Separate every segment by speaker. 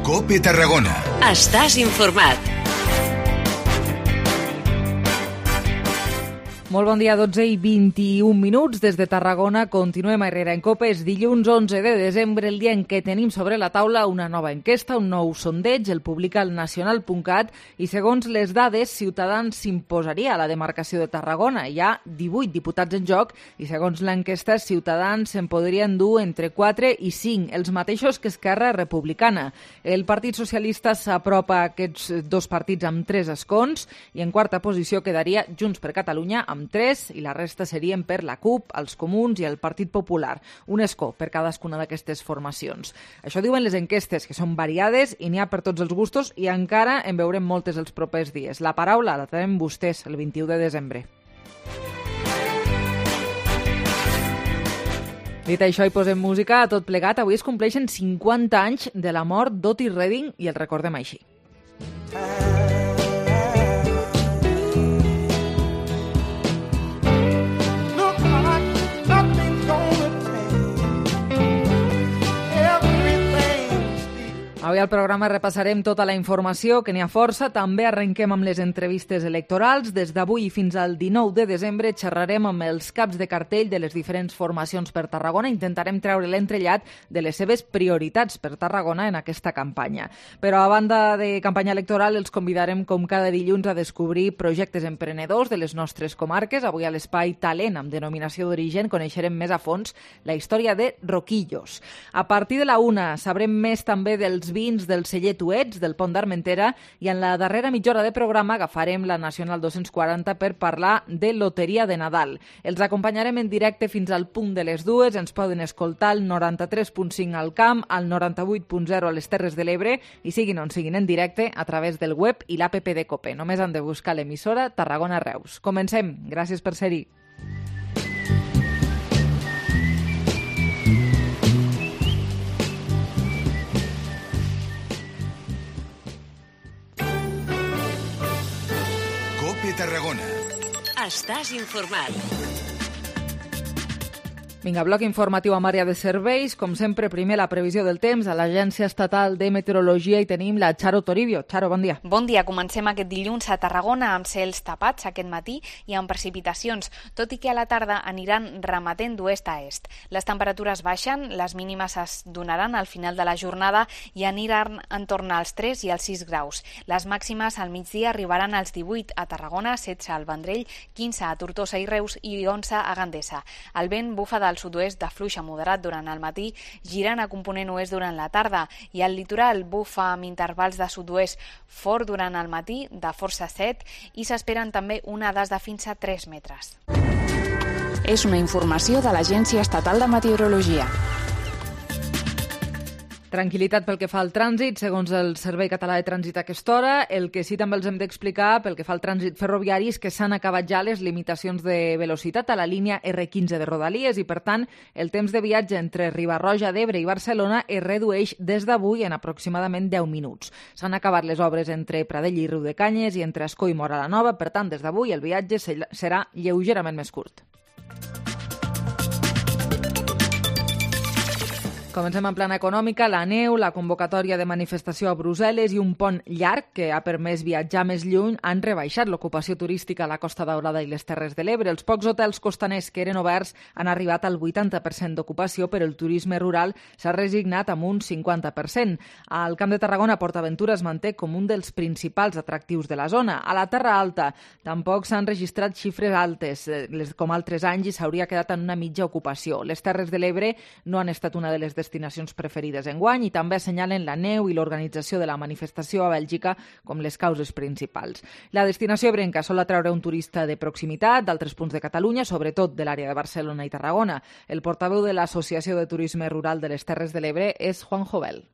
Speaker 1: COPE Tarragona.
Speaker 2: Estàs informat.
Speaker 3: Molt bon dia, 12 i 21 minuts. Des de Tarragona continuem a Herrera en COPE. És dilluns 11 de desembre, el dia en què tenim sobre la taula una nova enquesta, un nou sondeig, el publica el Nacional.cat, i segons les dades, Ciutadans s'imposaria a la demarcació de Tarragona. Hi ha 18 diputats en joc i segons l'enquesta, Ciutadans se'n podrien dur entre 4 i 5, els mateixos que Esquerra Republicana. El Partit Socialista s'apropa a aquests dos partits amb 3 escons i en quarta posició quedaria Junts per Catalunya amb 3 i la resta serien per la CUP, els Comuns i el Partit Popular. Un escó per cadascuna d'aquestes formacions. Això diuen les enquestes, que són variades i n'hi ha per tots els gustos i encara en veurem moltes els propers dies. La paraula la tenen vostès el 21 de desembre. Dit això, hi posem música a tot plegat. Avui es compleixen 50 anys de la mort d'Otis Redding i el recordem així. Avui al programa repassarem tota la informació, que n'hi ha força. També arrenquem amb les entrevistes electorals. Des d'avui fins al 19 de desembre xerrarem amb els caps de cartell de les diferents formacions per Tarragona. Intentarem treure l'entrellat de les seves prioritats per Tarragona en aquesta campanya. Però a banda de campanya electoral, els convidarem com cada dilluns a descobrir projectes emprenedors de les nostres comarques. Avui a l'espai Talent, amb denominació d'origen, coneixerem més a fons la història de Roquillos. A partir de la 1 sabrem més també dels vins del celler Tuets, del Pont d'Armentera, i en la darrera mitja hora de programa agafarem la Nacional 240 per parlar de Loteria de Nadal. Els acompanyarem en directe fins al punt de les 2, ens poden escoltar al 93.5 al Camp, al 98.0 a les Terres de l'Ebre, i siguin on siguin en directe a través del web i l'APP de COPE. Només han de buscar l'emissora Tarragona Reus. Comencem. Gràcies per ser-hi.
Speaker 1: Tarragona.
Speaker 2: Estàs informat.
Speaker 3: Vinga, bloc informatiu amb àrea de serveis. Com sempre, primer la previsió del temps. A l'Agència Estatal de Meteorologia hi tenim la Charo Toribio. Charo, bon dia.
Speaker 4: Bon dia. Comencem aquest dilluns a Tarragona amb cels tapats aquest matí i amb precipitacions, tot i que a la tarda aniran remetent d'oest a est. Les temperatures baixen, les mínimes es donaran al final de la jornada i aniran en torn als 3 i als 6 graus. Les màximes al migdia arribaran als 18 a Tarragona, 16 al Vendrell, 15 a Tortosa i Reus i 11 a Gandesa. El vent bufa del sud-oest de fluix a moderat durant el matí, girant a component oest durant la tarda, i al litoral bufa amb intervals de sud-oest fort durant el matí, de força 7, i s'esperen també onades de fins a 3 metres.
Speaker 5: És una informació de l'Agència Estatal de Meteorologia.
Speaker 3: Tranquil·litat pel que fa al trànsit, segons el Servei Català de Trànsit a aquesta hora. El que sí també els hem d'explicar pel que fa al trànsit ferroviari és que s'han acabat ja les limitacions de velocitat a la línia R15 de Rodalies i, per tant, el temps de viatge entre Riba-roja d'Ebre i Barcelona es redueix des d'avui en aproximadament 10 minuts. S'han acabat les obres entre Pradell i Riudecanyes i entre Ascó i Móra la Nova, per tant, des d'avui el viatge serà lleugerament més curt. Comencem en plana econòmica. La neu, la convocatòria de manifestació a Brussel·les i un pont llarg que ha permès viatjar més lluny han rebaixat l'ocupació turística a la Costa Daurada i les Terres de l'Ebre. Els pocs hotels costaners que eren oberts han arribat al 80% d'ocupació, però el turisme rural s'ha resignat amb un 50%. Al Camp de Tarragona, PortAventura es manté com un dels principals atractius de la zona. A la Terra Alta tampoc s'han registrat xifres altes, com altres anys, i s'hauria quedat en una mitja ocupació. Les Terres de l'Ebre no han estat una de les destinacions preferides enguany i també assenyalen la neu i l'organització de la manifestació a Bèlgica com les causes principals. La destinació ebrenca sol atraure un turista de proximitat d'altres punts de Catalunya, sobretot de l'àrea de Barcelona i Tarragona. El portaveu de l'Associació de Turisme Rural de les Terres de l'Ebre és Juan Jovel.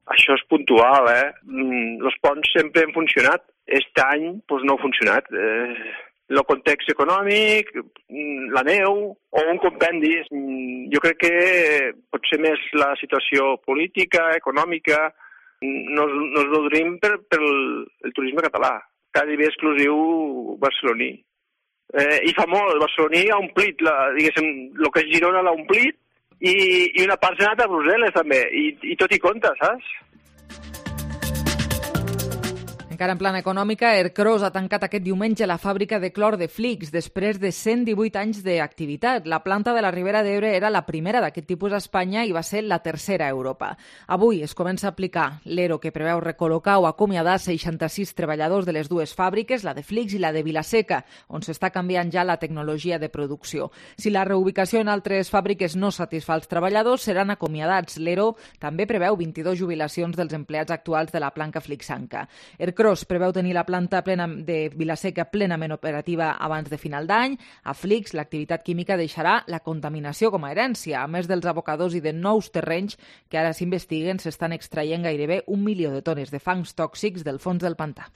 Speaker 6: Això és puntual, Els ponts sempre han funcionat. Aquest any no ha funcionat. El context econòmic, la neu o un compendi. Jo crec que potser més la situació política, econòmica, no es nodrim per el turisme català. Quasi bé exclusiu barceloní. I fa molt, el barceloní ha omplit, diguéssim, el que és Girona l'ha omplit i una part s'ha anat a Brussel·les també, i tot hi compta, saps?
Speaker 3: Encara en plana econòmica, Ercros ha tancat aquest diumenge la fàbrica de clor de Flix després de 118 anys d'activitat. La planta de la Ribera d'Ebre era la primera d'aquest tipus a Espanya i va ser la tercera a Europa. Avui es comença a aplicar l'ERO que preveu recol·locar o acomiadar 66 treballadors de les dues fàbriques, la de Flix i la de Vilaseca, on s'està canviant ja la tecnologia de producció. Si la reubicació en altres fàbriques no satisfà els treballadors, seran acomiadats. L'ERO també preveu 22 jubilacions dels empleats actuals de la planta flixanca. Ercros preveu tenir la planta de Vilaseca plenament operativa abans de final d'any. A Flix, l'activitat química deixarà la contaminació com a herència. A més dels abocadors i de nous terrenys que ara s'investiguen, s'estan extraient gairebé 1 milió de tones de fangs tòxics del fons del pantà.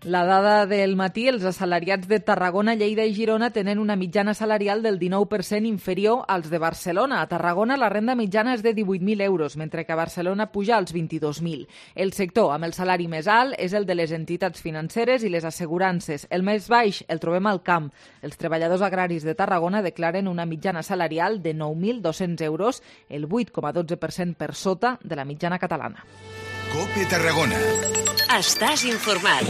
Speaker 3: La dada del matí, els assalariats de Tarragona, Lleida i Girona tenen una mitjana salarial del 19% inferior als de Barcelona. A Tarragona la renda mitjana és de 18.000 euros, mentre que a Barcelona puja als 22.000. El sector amb el salari més alt és el de les entitats financeres i les assegurances. El més baix el trobem al camp. Els treballadors agraris de Tarragona declaren una mitjana salarial de 9.200 euros, el 8,12% per sota de la mitjana catalana.
Speaker 1: COPE Tarragona.
Speaker 2: Estàs informat.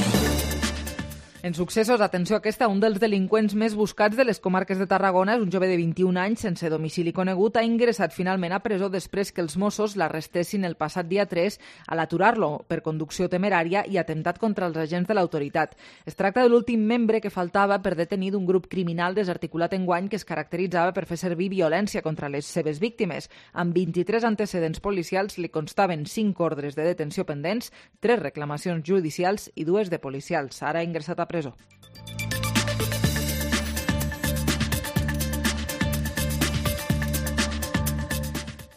Speaker 3: En successos, atenció aquesta, un dels delinqüents més buscats de les comarques de Tarragona, és un jove de 21 anys sense domicili conegut, ha ingressat finalment a presó després que els Mossos l'arrestessin el passat dia 3 a l'aturar-lo per conducció temerària i atemptat contra els agents de l'autoritat. Es tracta de l'últim membre que faltava per detenir d'un grup criminal desarticulat enguany que es caracteritzava per fer servir violència contra les seves víctimes. Amb 23 antecedents policials li constaven 5 ordres de detenció pendents, 3 reclamacions judicials i 2 de policials. Ara ha ingressat a presó.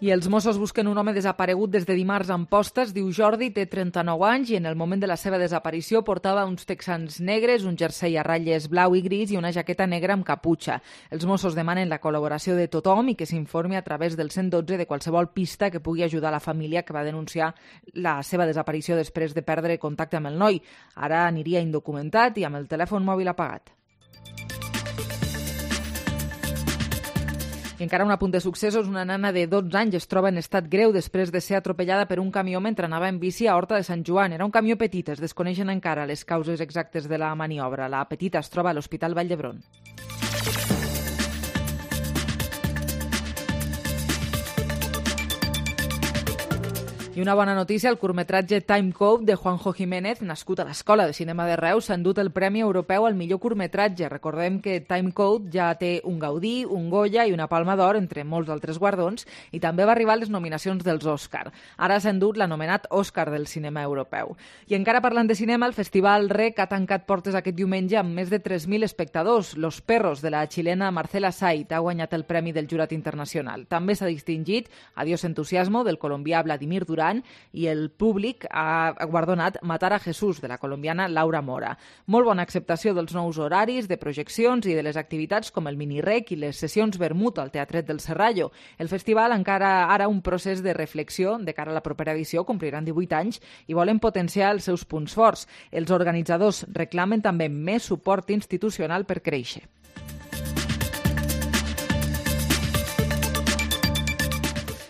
Speaker 3: I els Mossos busquen un home desaparegut des de dimarts a Amposta. Es diu Jordi, té 39 anys i en el moment de la seva desaparició portava uns texans negres, un jersei a ratlles blau i gris i una jaqueta negra amb caputxa. Els Mossos demanen la col·laboració de tothom i que s'informi a través del 112 de qualsevol pista que pugui ajudar la família que va denunciar la seva desaparició després de perdre contacte amb el noi. Ara aniria indocumentat i amb el telèfon mòbil apagat. I encara un apunt de successos, una nana de 12 anys es troba en estat greu després de ser atropellada per un camió mentre anava en bici a Horta de Sant Joan. Era un camió petit, es desconeixen encara les causes exactes de la maniobra. La petita es troba a l'Hospital Vall d'Hebron. I una bona notícia, el curtmetratge Time Code de Juanjo Jiménez, nascut a l'Escola de Cinema de Reus, s'ha endut el Premi Europeu al millor curtmetratge. Recordem que Time Code ja té un Gaudí, un Goya i una Palma d'Or, entre molts altres guardons, i també va arribar a les nominacions dels Òscar. Ara s'ha endut l'anomenat Òscar del cinema europeu. I encara parlant de cinema, el Festival REC ha tancat portes aquest diumenge amb més de 3.000 espectadors. Los Perros, de la xilena Marcela Sait, ha guanyat el Premi del Jurat Internacional. També s'ha distingit Adiós Entusiasmo, del colombià Vladimir Durán, i el públic ha guardonat Matar a Jesús, de la colombiana Laura Mora. Molt bona acceptació dels nous horaris, de projeccions i de les activitats com el mini-rec i les sessions vermut al Teatret del Serrallo. El festival encara ara un procés de reflexió de cara a la propera edició, compliran 18 anys i volen potenciar els seus punts forts. Els organitzadors reclamen també més suport institucional per créixer.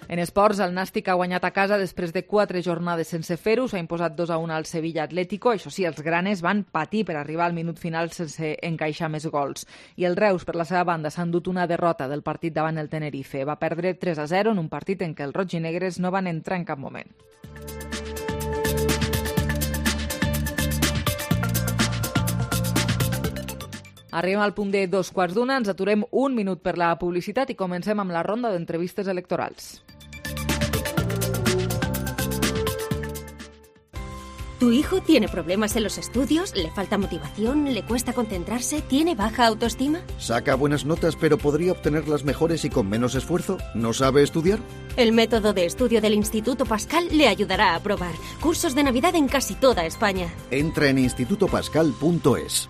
Speaker 3: En esports, el Nàstic ha guanyat a casa després de 4 jornades sense fer-ho. S'ha imposat 2-1 al Sevilla Atlético. Això sí, els granes van patir per arribar al minut final sense encaixar més gols. I el Reus, per la seva banda, s'ha endut una derrota del partit davant el Tenerife. Va perdre 3-0 en un partit en què els rojinegres no van entrar en cap moment. Arribem al punt de 2:15, ens aturem un minut per la publicitat i comencem amb la ronda d'entrevistes electorals.
Speaker 7: ¿Tu hijo tiene problemas en los estudios? ¿Le falta motivación? ¿Le cuesta concentrarse? ¿Tiene baja autoestima?
Speaker 8: Saca buenas notas, pero podría obtenerlas mejores y con menos esfuerzo. ¿No sabe estudiar?
Speaker 7: El método de estudio del Instituto Pascal le ayudará a aprobar. Cursos de Navidad en casi toda España.
Speaker 8: Entra en institutopascal.es.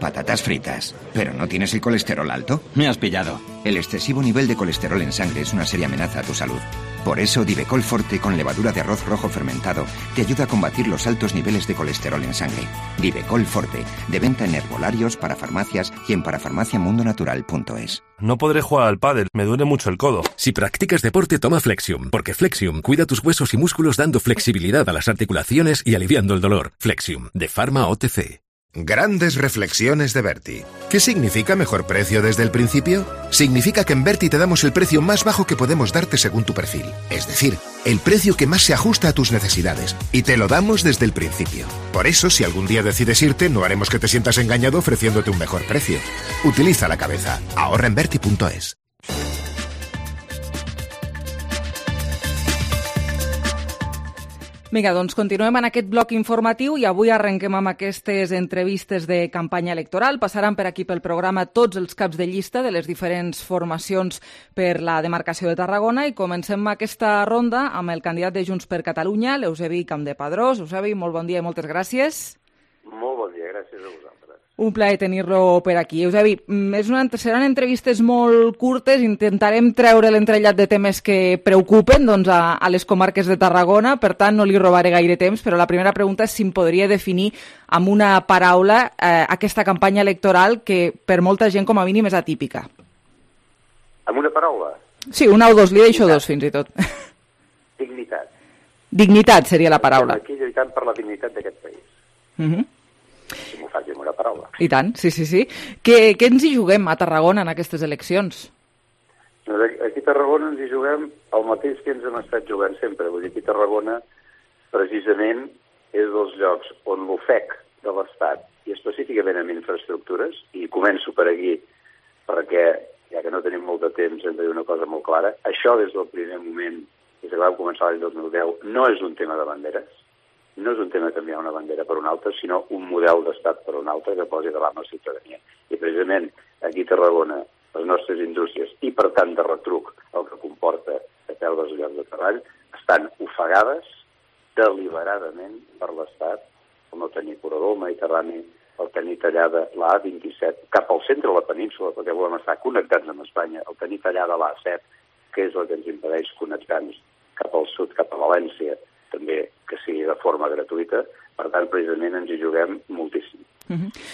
Speaker 9: Patatas fritas. ¿Pero no tienes el colesterol alto?
Speaker 10: Me has pillado.
Speaker 9: El excesivo nivel de colesterol en sangre es una seria amenaza a tu salud. Por eso Divecol Forte con levadura de arroz rojo fermentado te ayuda a combatir los altos niveles de colesterol en sangre. Divecol Forte, de venta en herbolarios, para farmacias y en parafarmaciamundonatural.es.
Speaker 10: No podré jugar al pádel, me duele mucho el codo.
Speaker 11: Si practicas deporte, toma Flexium, porque Flexium cuida tus huesos y músculos dando flexibilidad a las articulaciones y aliviando el dolor. Flexium, de Pharma OTC.
Speaker 1: Grandes reflexiones de Berti. ¿Qué significa mejor precio desde el principio? Significa que en Berti te damos el precio más bajo que podemos darte según tu perfil. Es decir, el precio que más se ajusta a tus necesidades. Y te lo damos desde el principio. Por eso, si algún día decides irte, no haremos que te sientas engañado ofreciéndote un mejor precio. Utiliza la cabeza. Ahorra en Berti.es.
Speaker 3: Vinga, doncs continuem en aquest bloc informatiu i avui arrenquem amb aquestes entrevistes de campanya electoral. Passaran per aquí pel programa tots els caps de llista de les diferents formacions per la demarcació de Tarragona i comencem aquesta ronda amb el candidat de Junts per Catalunya, l'Eusebi Campdepadrós. Eusebi, molt bon dia i moltes gràcies.
Speaker 12: Molt bon dia, gràcies a vosaltres.
Speaker 3: Un plaer tenir-lo per aquí. Eusebi, seran entrevistes molt curtes, intentarem treure l'entrellat de temes que preocupen a les comarques de Tarragona, per tant no li robaré gaire temps, però la primera pregunta és si em podria definir amb una paraula aquesta campanya electoral que per molta gent com a mínim és atípica.
Speaker 12: Amb una paraula?
Speaker 3: Sí, una o dos, li deixo dos fins i tot.
Speaker 12: Dignitat.
Speaker 3: Dignitat seria la paraula.
Speaker 12: Estem aquí lluitant per la dignitat d'aquest país. Si m'ho faig amb una paraula.
Speaker 3: I tant, sí. Què ens hi juguem a Tarragona en aquestes eleccions?
Speaker 12: Aquí a Tarragona ens hi juguem el mateix que ens hem estat jugant sempre. Vull dir, aquí a Tarragona precisament és dels llocs on l'ofec de l'Estat, i específicament en infraestructures, i començo per aquí perquè, ja que no tenim molt de temps, hem de dir una cosa molt clara, això des del primer moment, des que vam començar l'any 2010, no és un tema de banderes, no és un tema de canviar una bandera per una altra, sinó un model d'estat per una altra que posi davant la ciutadania. I precisament aquí a Tarragona, les nostres indústries, i per tant de retruc el que comporta de perdre els llocs de treball, estan ofegades deliberadament per l'Estat, el no tenir corredor mediterrani, el tenir tallada la A27 cap al centre de la península, perquè volem estar connectats amb Espanya, el tenir tallada la A7, que és el que ens impedeix connectar-nos cap al sud, cap a València, també que sigui de forma gratuïta. Per tant, precisament ens hi juguem moltíssim.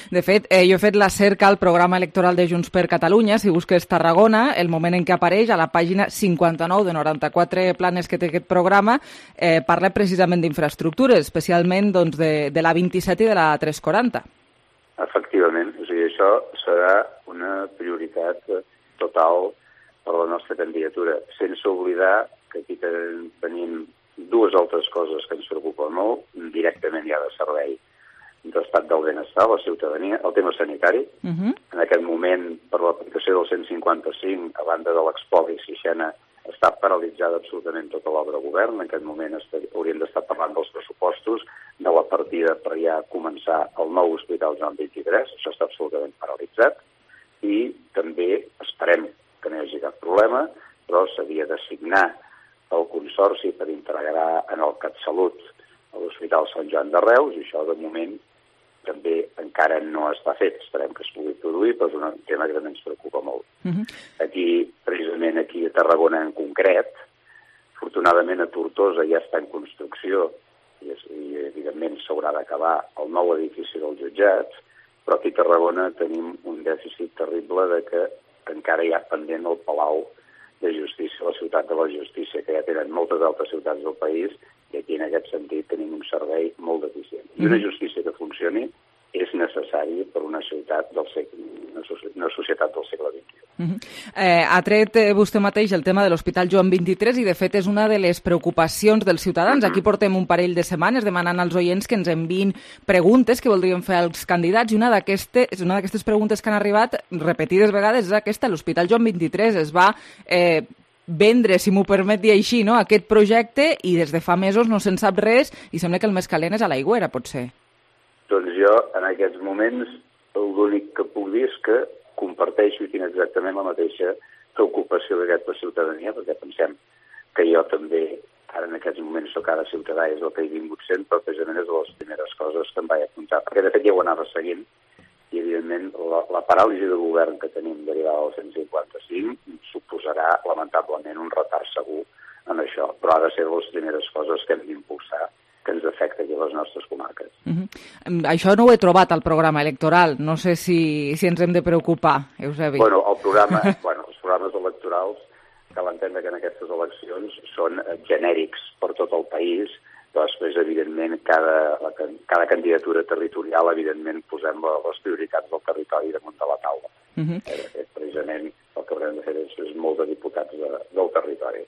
Speaker 3: De fet, jo he fet la cerca al programa electoral de Junts per Catalunya. Si busques Tarragona, el moment en què apareix a la pàgina 59 de 94 planes que té aquest programa, parla precisament d'infraestructures, especialment de la 27 i de la 340.
Speaker 12: Efectivament. O sigui, això serà una prioritat total per la nostra candidatura, sense oblidar que aquí tenim dues altres coses que ens preocupen molt, directament ja de servei d'estat del benestar, la ciutadania, el tema sanitari. En aquest moment, per l'aplicació del 155, a banda de l'Expoli Sixena, està paralitzada absolutament tota l'obra de govern. En aquest moment hauríem d'estar parlant dels pressupostos, de la partida per ja començar el nou hospital Joan 23, això està absolutament paralitzat, i també esperem que no hi hagi cap problema, però s'havia d'assignar el Consorci per integrar en el CatSalut a l'Hospital Sant Joan de Reus, i això de moment també encara no està fet. Esperem que es pugui produir, però és un tema que també ens preocupa molt. Aquí, precisament aquí a Tarragona en concret, afortunadament a Tortosa ja està en construcció i evidentment s'haurà d'acabar el nou edifici del jutjat, però aquí a Tarragona tenim un dèficit terrible de que encara hi ha pendent el Palau de Justícia, la ciutat de la Justícia, que ja tenen moltes altres ciutats del país, i aquí en aquest sentit tenim un servei molt deficient. I una justícia que funcioni és necessari per una ciutat una societat del segle XXI.
Speaker 3: Ha tret vostè mateix el tema de l'Hospital Joan 23 i, de fet, és una de les preocupacions dels ciutadans. Aquí portem un parell de setmanes demanant als oients que ens enviïn preguntes que voldrien fer als candidats, i una d'aquestes preguntes que han arribat repetides vegades és aquesta. L'Hospital Joan 23 es va vendre, si m'ho permet dir així, no?, aquest projecte, i des de fa mesos no se'n sap res i sembla que el més calent és a l'Aigüera, potser.
Speaker 12: Doncs jo, en aquests moments, l'únic que puc dir és que comparteixo i tinc exactament la mateixa preocupació d'aquesta ciutadania, perquè pensem que jo també, ara en aquests moments soc ara ciutadà, és el que he vingut sent, però precisament és de les primeres coses que em vaig apuntar, perquè de fet ja ho anava seguint, i evidentment la paràlisi de govern que tenim derivada del 155 suposarà lamentablement un retard segur en això. això, però ha de ser les primeres coses que hem d'impulsar, que ens afecta aquí a les nostres comarques.
Speaker 3: Això no ho he trobat al programa electoral. No sé si ens hem de preocupar, Eusebi.
Speaker 12: Bueno, els programes electorals, cal entendre que en aquestes eleccions són genèrics per tot el país, però després, evidentment, cada candidatura territorial, evidentment, posem les prioritats del territori damunt de la taula. Precisament el que haurem de fer és molt de diputats del territori.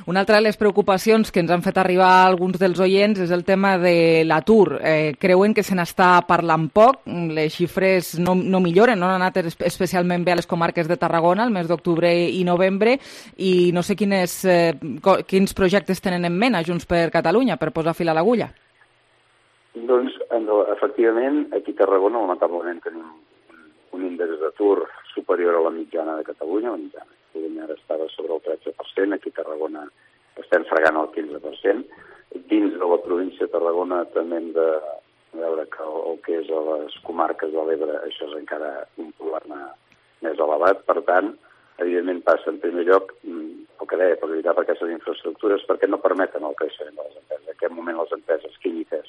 Speaker 3: Una altra de les preocupacions que ens han fet arribar alguns dels oients és el tema de l'atur. Creuen que se n'està parlant poc, les xifres no milloren, no han anat especialment bé a les comarques de Tarragona el mes d'octubre i novembre, i no sé quins projectes tenen en ment a Junts per Catalunya per posar fil a l'agulla.
Speaker 12: Doncs, efectivament, aquí a Tarragona, lamentablement, tenim un índex d'atur superior a la mitjana de Catalunya. La mitjana de Catalunya ara estava sobre el 13%, aquí a Tarragona estem fregant el 15%. Dins de la província de Tarragona també hem de veure que el que és a les comarques de l'Ebre això és encara un problema més elevat. Per tant, evidentment passa en primer lloc el que deia, per lluitar per aquestes infraestructures, perquè no permeten el creixement de les empreses. En aquest moment les empreses químiques,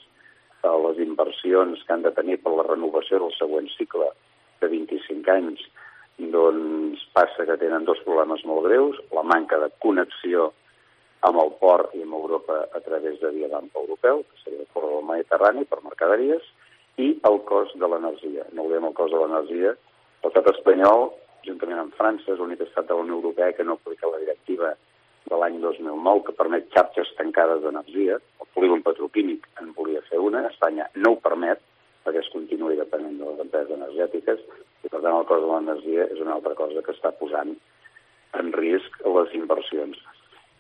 Speaker 12: les inversions que han de tenir per la renovació del següent cicle de 25 anys, doncs passa que tenen dos problemes molt greus: la manca de connexió amb el port i amb Europa a través de via d'ample europeu, que seria el corredor mediterrani per mercaderies, i el cost de l'energia. No oblidem el cost de l'energia. L'estat espanyol, juntament amb França, és l'únic estat de la Unió Europea que no aplica la directiva de l'any 2009 que permet xarxes tancades d'energia. El polígon petroquímic en volia fer una, Espanya no ho permet, perquè es continuï depenent de les empreses energètiques, i per tant el cost de l'energia és una altra cosa que està posant en risc les inversions.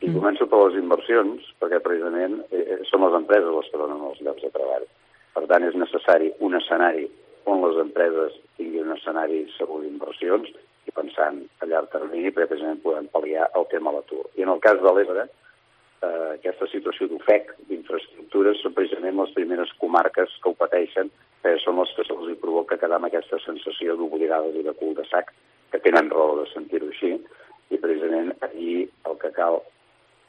Speaker 12: I començo per les inversions, perquè precisament són les empreses les que donen els llocs de treball. Per tant, és necessari un escenari on les empreses tinguin un escenari segur d'inversions i pensant a llarg termini, perquè precisament podem pal·liar el tema de l'atur. I en el cas de l'Ebre, aquesta situació d'ofec d'infraestructures són precisament les primeres comarques que ho pateixen, perquè són les que se'ls provoca quedar amb aquesta sensació d'oblidades i de cul de sac, que tenen raó de sentir-ho així, i precisament allí el que cal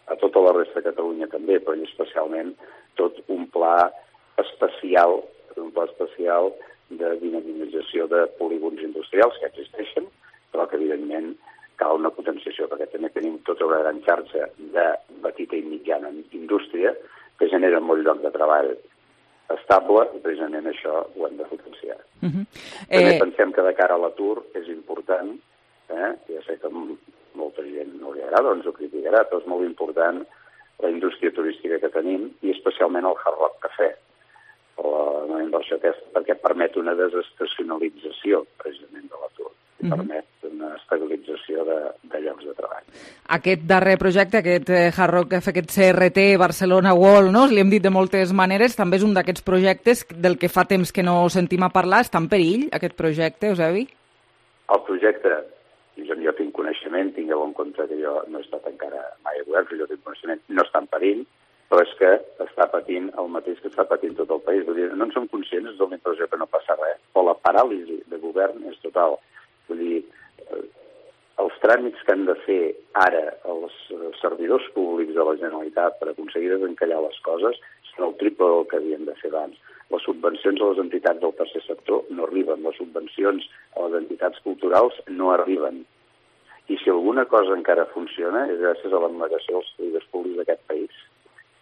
Speaker 12: a tota la resta de Catalunya també, però especialment tot un pla especial de dinamització de polígons industrials que existeixen, però que evidentment cal una potenciació, perquè també tenim tota una gran xarxa de petita i mitjana indústria que genera molt lloc de treball estable, i precisament això ho hem de potenciar. També pensem que de cara a l'atur és important, ja sé que molta gent no li agrada o ens ho criticarà, però és molt important la indústria turística que tenim, i especialment el Hard Rock Cafè, la inversió aquesta, perquè permet una desestacionalització precisament de l'atur, i permet una estabilització de llocs de treball.
Speaker 3: Aquest darrer projecte, aquest Hard Rock Cafè, aquest CRT Barcelona World, no? Li hem dit de moltes maneres, també és un d'aquests projectes del que fa temps que no sentim a parlar. Està en perill, aquest projecte, Eusebi?
Speaker 12: El projecte, jo tinc coneixement, tingueu en compte que jo no he estat encara mai a govern, jo tinc coneixement, no està en perill, però és que està patint el mateix que està patint tot el país. Vull dir, no en som conscients, és la impressió que no passa res, però la paràlisi de govern és total. Vull dir, els tràmits que han de fer ara els servidors públics de la Generalitat per aconseguir desencallar les coses són el triple del que havien de fer abans. Les subvencions a les entitats del tercer sector no arriben, les subvencions a les entitats culturals no arriben. I si alguna cosa encara funciona és gràcies a l'abnegació dels servidors públics d'aquest país,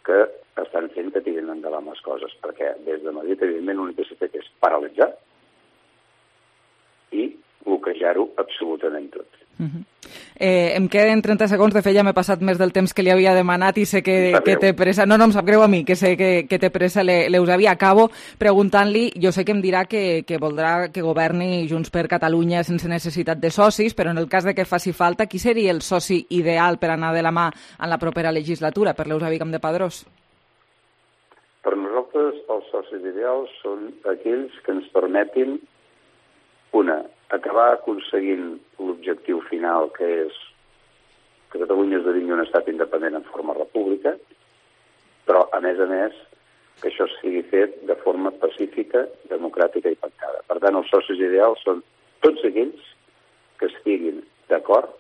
Speaker 12: que estan fent que tirin endavant les coses, perquè des de Madrid, evidentment, l'únic que s'ha fet és paralitzar i bloquejar-ho absolutament tot.
Speaker 3: Em queden 30 segons, de fet ja m'he passat més del temps que li havia demanat i sé que té pressa. No, em sap greu a mi, que sé que té pressa l'Eusebi. Acabo preguntant-li, jo sé que em dirà que voldrà que governi Junts per Catalunya sense necessitat de socis, però en el cas de que faci falta, qui seria el soci ideal per anar de la mà en la propera legislatura, per l'Eusebi Campdepadrós?
Speaker 12: Per nosaltres els socis ideals són aquells que ens permetin acabar aconseguint l'objectiu final, que és que Catalunya esdevingui un estat independent en forma república, però, a més, que això sigui fet de forma pacífica, democràtica i pactada. Per tant, els socis ideals són tots aquells que estiguin d'acord,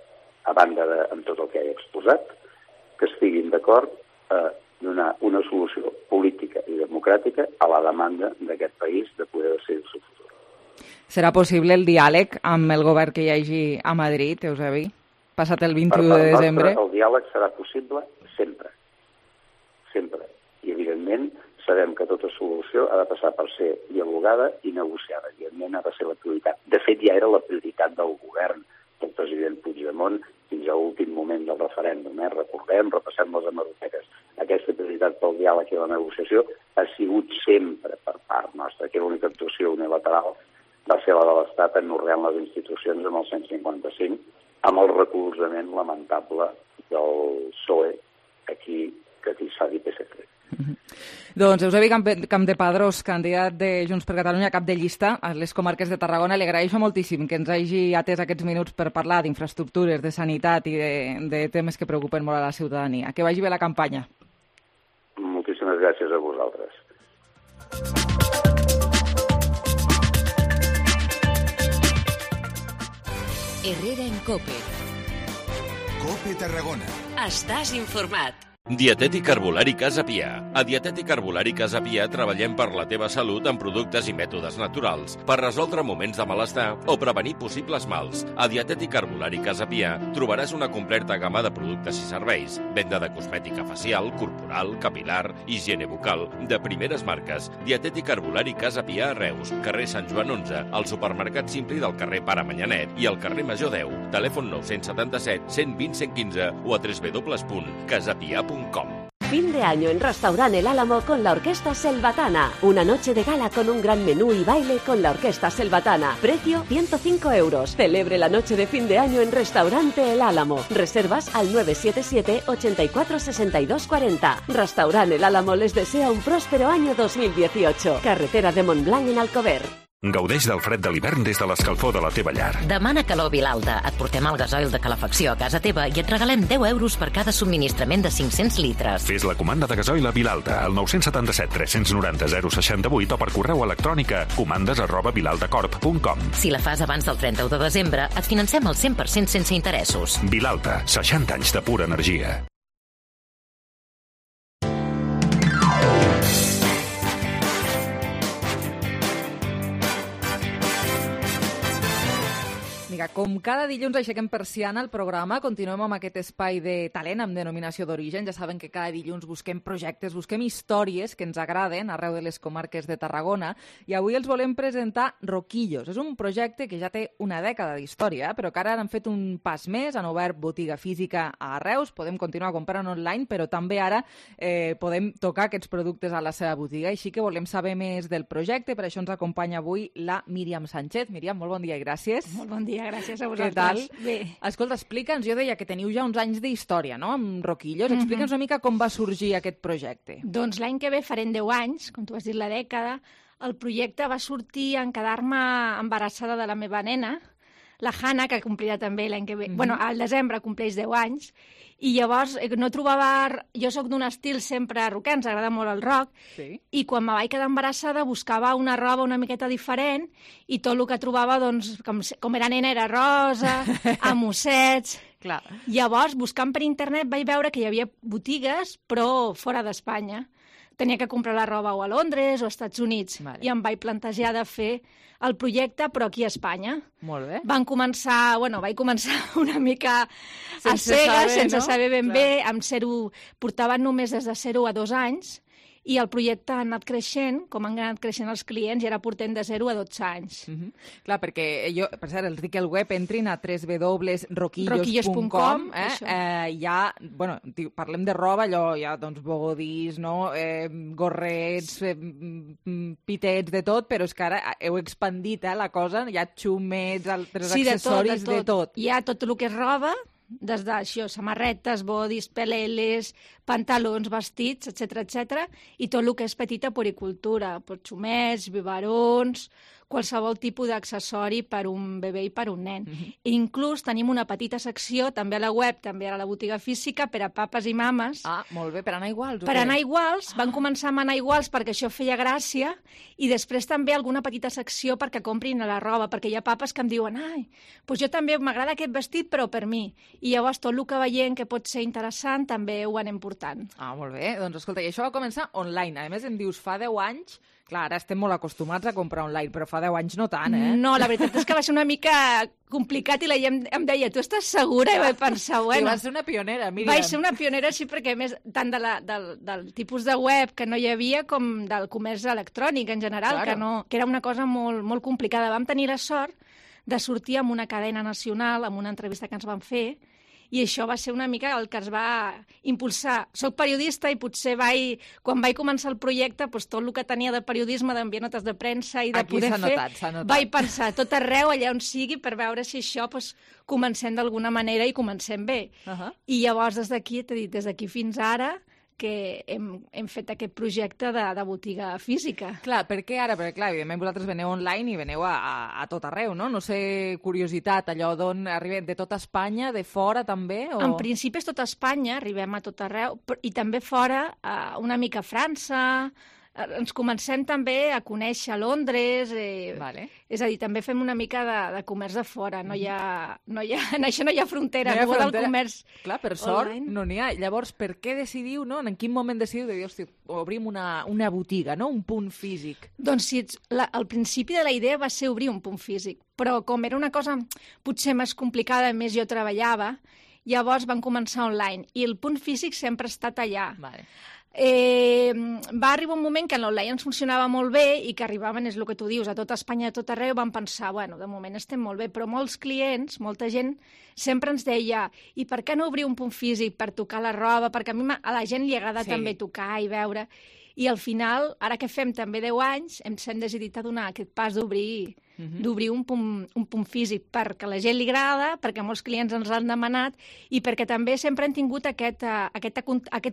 Speaker 12: a banda amb tot el que he exposat, que estiguin d'acord donar una solució política i democràtica a la demanda d'aquest país de poder decidir el seu futur.
Speaker 3: Serà possible el diàleg amb el govern que hi hagi a Madrid, Eusebi? Passat el 21 de desembre?
Speaker 12: El diàleg serà possible sempre. Sempre. I, evidentment, sabem que tota solució ha de passar per ser dialogada i negociada. Evidentment, ha de ser la prioritat. De fet, ja era la prioritat del govern del president Puigdemont fins a l'últim moment del referèndum. Recordem, repassem les hemeroteques. Aquesta prioritat pel diàleg i la negociació ha sigut sempre per part nostra, que l'única actuació unilateral va ser la de l'Estat anorreant les institucions amb el 155, amb el recolzament lamentable del PSOE, aquí que s'ha dit PSC.
Speaker 3: Doncs Eusebi Campdepadrós, candidat de Junts per Catalunya, cap de llista a les comarques de Tarragona, li agraeixo moltíssim que ens hagi atès aquests minuts per parlar d'infraestructures, de sanitat i de temes que preocupen molt a la ciutadania. Que vagi bé la campanya.
Speaker 12: Moltíssimes gràcies a vosaltres.
Speaker 2: Herrera en COPE.
Speaker 13: COPE Tarragona.
Speaker 2: Estàs informat.
Speaker 14: Dietètic Herbolari Casa Pia. A Dietètic Herbolari Casa Pia treballem per la teva salut amb productes i mètodes naturals, per resoldre moments de malestar o prevenir possibles mals. A Dietètic Herbolari Casa Pia trobaràs una completa gamma de productes i serveis, venda de cosmètica facial, corporal, capilar, higiene bucal, de primeres marques. Dietètic Herbolari Casa Pia a Reus, carrer Sant Joan 11, al supermercat Simpli del carrer Pare Manyanet i al carrer Major 10. Telèfon 977 120 115 o a www.casapia.com.
Speaker 15: Fin de año en Restaurant El Álamo con la Orquesta Selvatana. Una noche de gala con un gran menú y baile con la Orquesta Selvatana. Precio 105 euros. Celebre la noche de fin de año en Restaurante El Álamo. Reservas al 977 84 62 40. Restaurant El Álamo les desea un próspero año 2018. Carretera de Montblanc en Alcover.
Speaker 11: Gaudeix del fred de l'hivern des de l'escalfor de la teva llar.
Speaker 16: Demana calor Vilalta. Et portem el gasoil de calefacció a casa teva i et regalem 10 euros per cada subministrament de 500 litres.
Speaker 11: Fes la comanda de gasoil a Vilalta al 977 390 068 o per correu electrònic a comandes@vilaltacorp.com.
Speaker 16: Si la fas abans del 31 de desembre, et financem el 100% sense interessos.
Speaker 11: Vilalta, 60 anys de pura energia.
Speaker 3: Vinga, com cada dilluns aixequem persiana al programa, continuem amb aquest espai de talent amb denominació d'origen. Ja saben que cada dilluns busquem projectes, busquem històries que ens agraden arreu de les comarques de Tarragona i avui els volem presentar Roquillos. És un projecte que ja té una dècada d'història, però que ara han fet un pas més, han obert botiga física a Reus, podem continuar comprant online, però també ara podem tocar aquests productes a la seva botiga, així que volem saber més del projecte. Per això ens acompanya avui la Míriam Sánchez. Míriam, molt bon dia i gràcies.
Speaker 17: Molt bon dia. Gràcies a vosaltres.
Speaker 3: Què tal?
Speaker 17: Bé.
Speaker 3: Escolta, explica'ns, jo deia que teniu ja uns anys d'història, no?, amb Roquillos. Explica'ns una mica com va sorgir aquest projecte.
Speaker 17: Doncs l'any que ve farem 10 anys, com tu has dit, la dècada. El projecte va sortir en quedar-me embarassada de la meva nena, la Hanna, que complirà també l'any que ve. Bueno, al desembre compleix 10 anys, i llavors no trobava... Jo sóc d'un estil sempre rocker, ens agrada molt el rock, i quan me vaig quedar embarassada buscava una roba una miqueta diferent i tot el que trobava, doncs, com era nena, era rosa, amb ossets...
Speaker 3: Clar.
Speaker 17: Llavors, buscant per internet, vaig veure que hi havia botigues, però fora d'Espanya. Tenia que comprar la roba o a Londres o als Estats Units. Vale. I em vaig plantejar de fer el projecte, però aquí a Espanya.
Speaker 3: Molt bé.
Speaker 17: Vaig començar una mica a cegues, sense saber ben bé, amb portaven només des de 0 a 2 anys, i el projecte ha anat creixent, com han anat creixent els clients, i ara portem de 0 a 12 anys.
Speaker 3: Clar, perquè jo, per cert, els dic al web, entrin a www.roquillos.com. Ja, bueno, parlem de roba, allò, ja, doncs, bogodís, no?, gorrets, pitets, de tot, però és que ara heu expandit la cosa, hi ha xumets, altres accessoris, de tot.
Speaker 17: Hi ha tot el que és roba, des d'això, samarretes, bodis, peleles, pantalons, vestits, etc, i tot el que és petita poricultura, xumets, biberons, qualsevol tipus d'accessori per un bebè i per un nen. I inclús tenim una petita secció, també a la web, també a la botiga física, per a papes i mames.
Speaker 3: Ah, molt bé, per anar iguals.
Speaker 17: Per anar iguals, van començar amb anar iguals perquè això feia gràcia, i després també alguna petita secció perquè comprin la roba, perquè hi ha papes que em diuen doncs jo també m'agrada aquest vestit, però per mi. I llavors tot el que veiem que pot ser interessant també ho anem portant.
Speaker 3: Ah, molt bé. Doncs escolta, i això va començar online. A més, em dius, fa 10 anys... Clar, ara estem molt acostumats a comprar online, però fa 10 anys no tant, eh?
Speaker 17: No, la veritat és que va ser una mica complicat i la gent em deia, tu estàs segura? I vaig pensar, bueno...
Speaker 3: I vas ser una pionera, Míriam.
Speaker 17: Vaig ser una pionera, sí, perquè a més, tant del tipus de web que no hi havia com del comerç electrònic en general, claro. que era una cosa molt, molt complicada. Vam tenir la sort de sortir amb una cadena nacional, amb una entrevista que ens van fer, i això va ser una mica el que es va impulsar. Soc periodista i potser quan vaig començar el projecte, doncs tot el que tenia de periodisme, d'enviar notes de premsa i de poder fer, vaig pensar tot arreu, allà on sigui, per veure si això comencem d'alguna manera i comencem bé. I llavors des d'aquí fins ara, que hem fet aquest projecte de botiga física.
Speaker 3: Clar, per què ara? Perquè, clar, evidentment vosaltres veneu online i veneu a tot arreu, no? No sé, curiositat, allò d'on arribem, de tota Espanya, de fora també? O...
Speaker 17: En principi és tota Espanya, arribem a tot arreu, i també fora, una mica a França. Ens comencem també a conèixer a Londres, és a dir, també fem una mica de comerç de fora, en això no hi ha frontera, no del comerç.
Speaker 3: Clar, per sort no n'hi ha. Llavors, per què decidiu, no? En quin moment decidiu de dir, hosti, obrim una botiga, no? Un punt físic?
Speaker 17: Doncs sí, al principi de la idea va ser obrir un punt físic, però com era una cosa potser més complicada, més jo treballava, llavors vam començar online, i el punt físic sempre ha estat allà. Va arribar un moment que l'online ens funcionava molt bé i que arribaven, és el que tu dius, a tota Espanya, a tot arreu, vam pensar, bueno, de moment estem molt bé, però molts clients, molta gent, sempre ens deia, i per què no obrir un punt físic per tocar la roba? Perquè a la gent li agrada també tocar i veure. I al final, ara que fem també 10 anys, ens hem decidit a donar aquest pas d'obrir un punt físic, perquè a la gent li agrada, perquè molts clients ens l'han demanat i perquè també sempre hem tingut aquest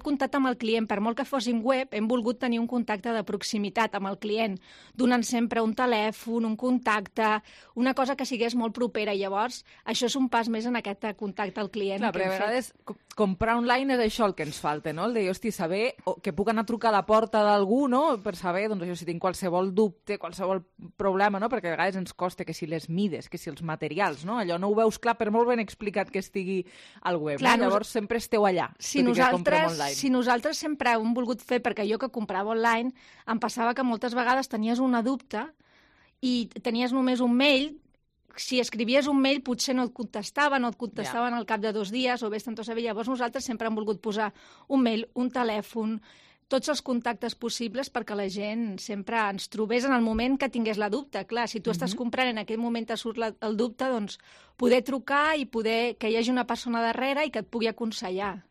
Speaker 17: contacte amb el client. Per molt que fóssim web, hem volgut tenir un contacte de proximitat amb el client, donant sempre un telèfon, un contacte, una cosa que sigués molt propera. I llavors, això és un pas més en aquest contacte al client.
Speaker 3: Clar, però a vegades comprar online és això el que ens falta, no? El de, hosti, saber que puc anar a trucar a la porta d'algú, no? Per saber, doncs, això, si tinc qualsevol dubte, qualsevol problema, no? Perquè a vegades ens costa que si les mides, que si els materials, no? Allò no ho veus clar, per molt ben explicat que estigui al web. Clar, no? Llavors sempre esteu allà,
Speaker 17: si nosaltres sempre ho hem volgut fer, perquè jo que comprava online em passava que moltes vegades tenies una dubte i tenies només un mail. Si escrivies un mail potser no et contestaven al cap de 2 dies o vés-te'n a saber. Llavors nosaltres sempre hem volgut posar un mail, un telèfon, tots els contactes possibles perquè la gent sempre ens trobés en el moment que tingués la dubte. Clar, si tu estàs comprant en aquell moment te surt el dubte, doncs poder trucar i poder que hi hagi una persona darrere i que et pugui aconsellar.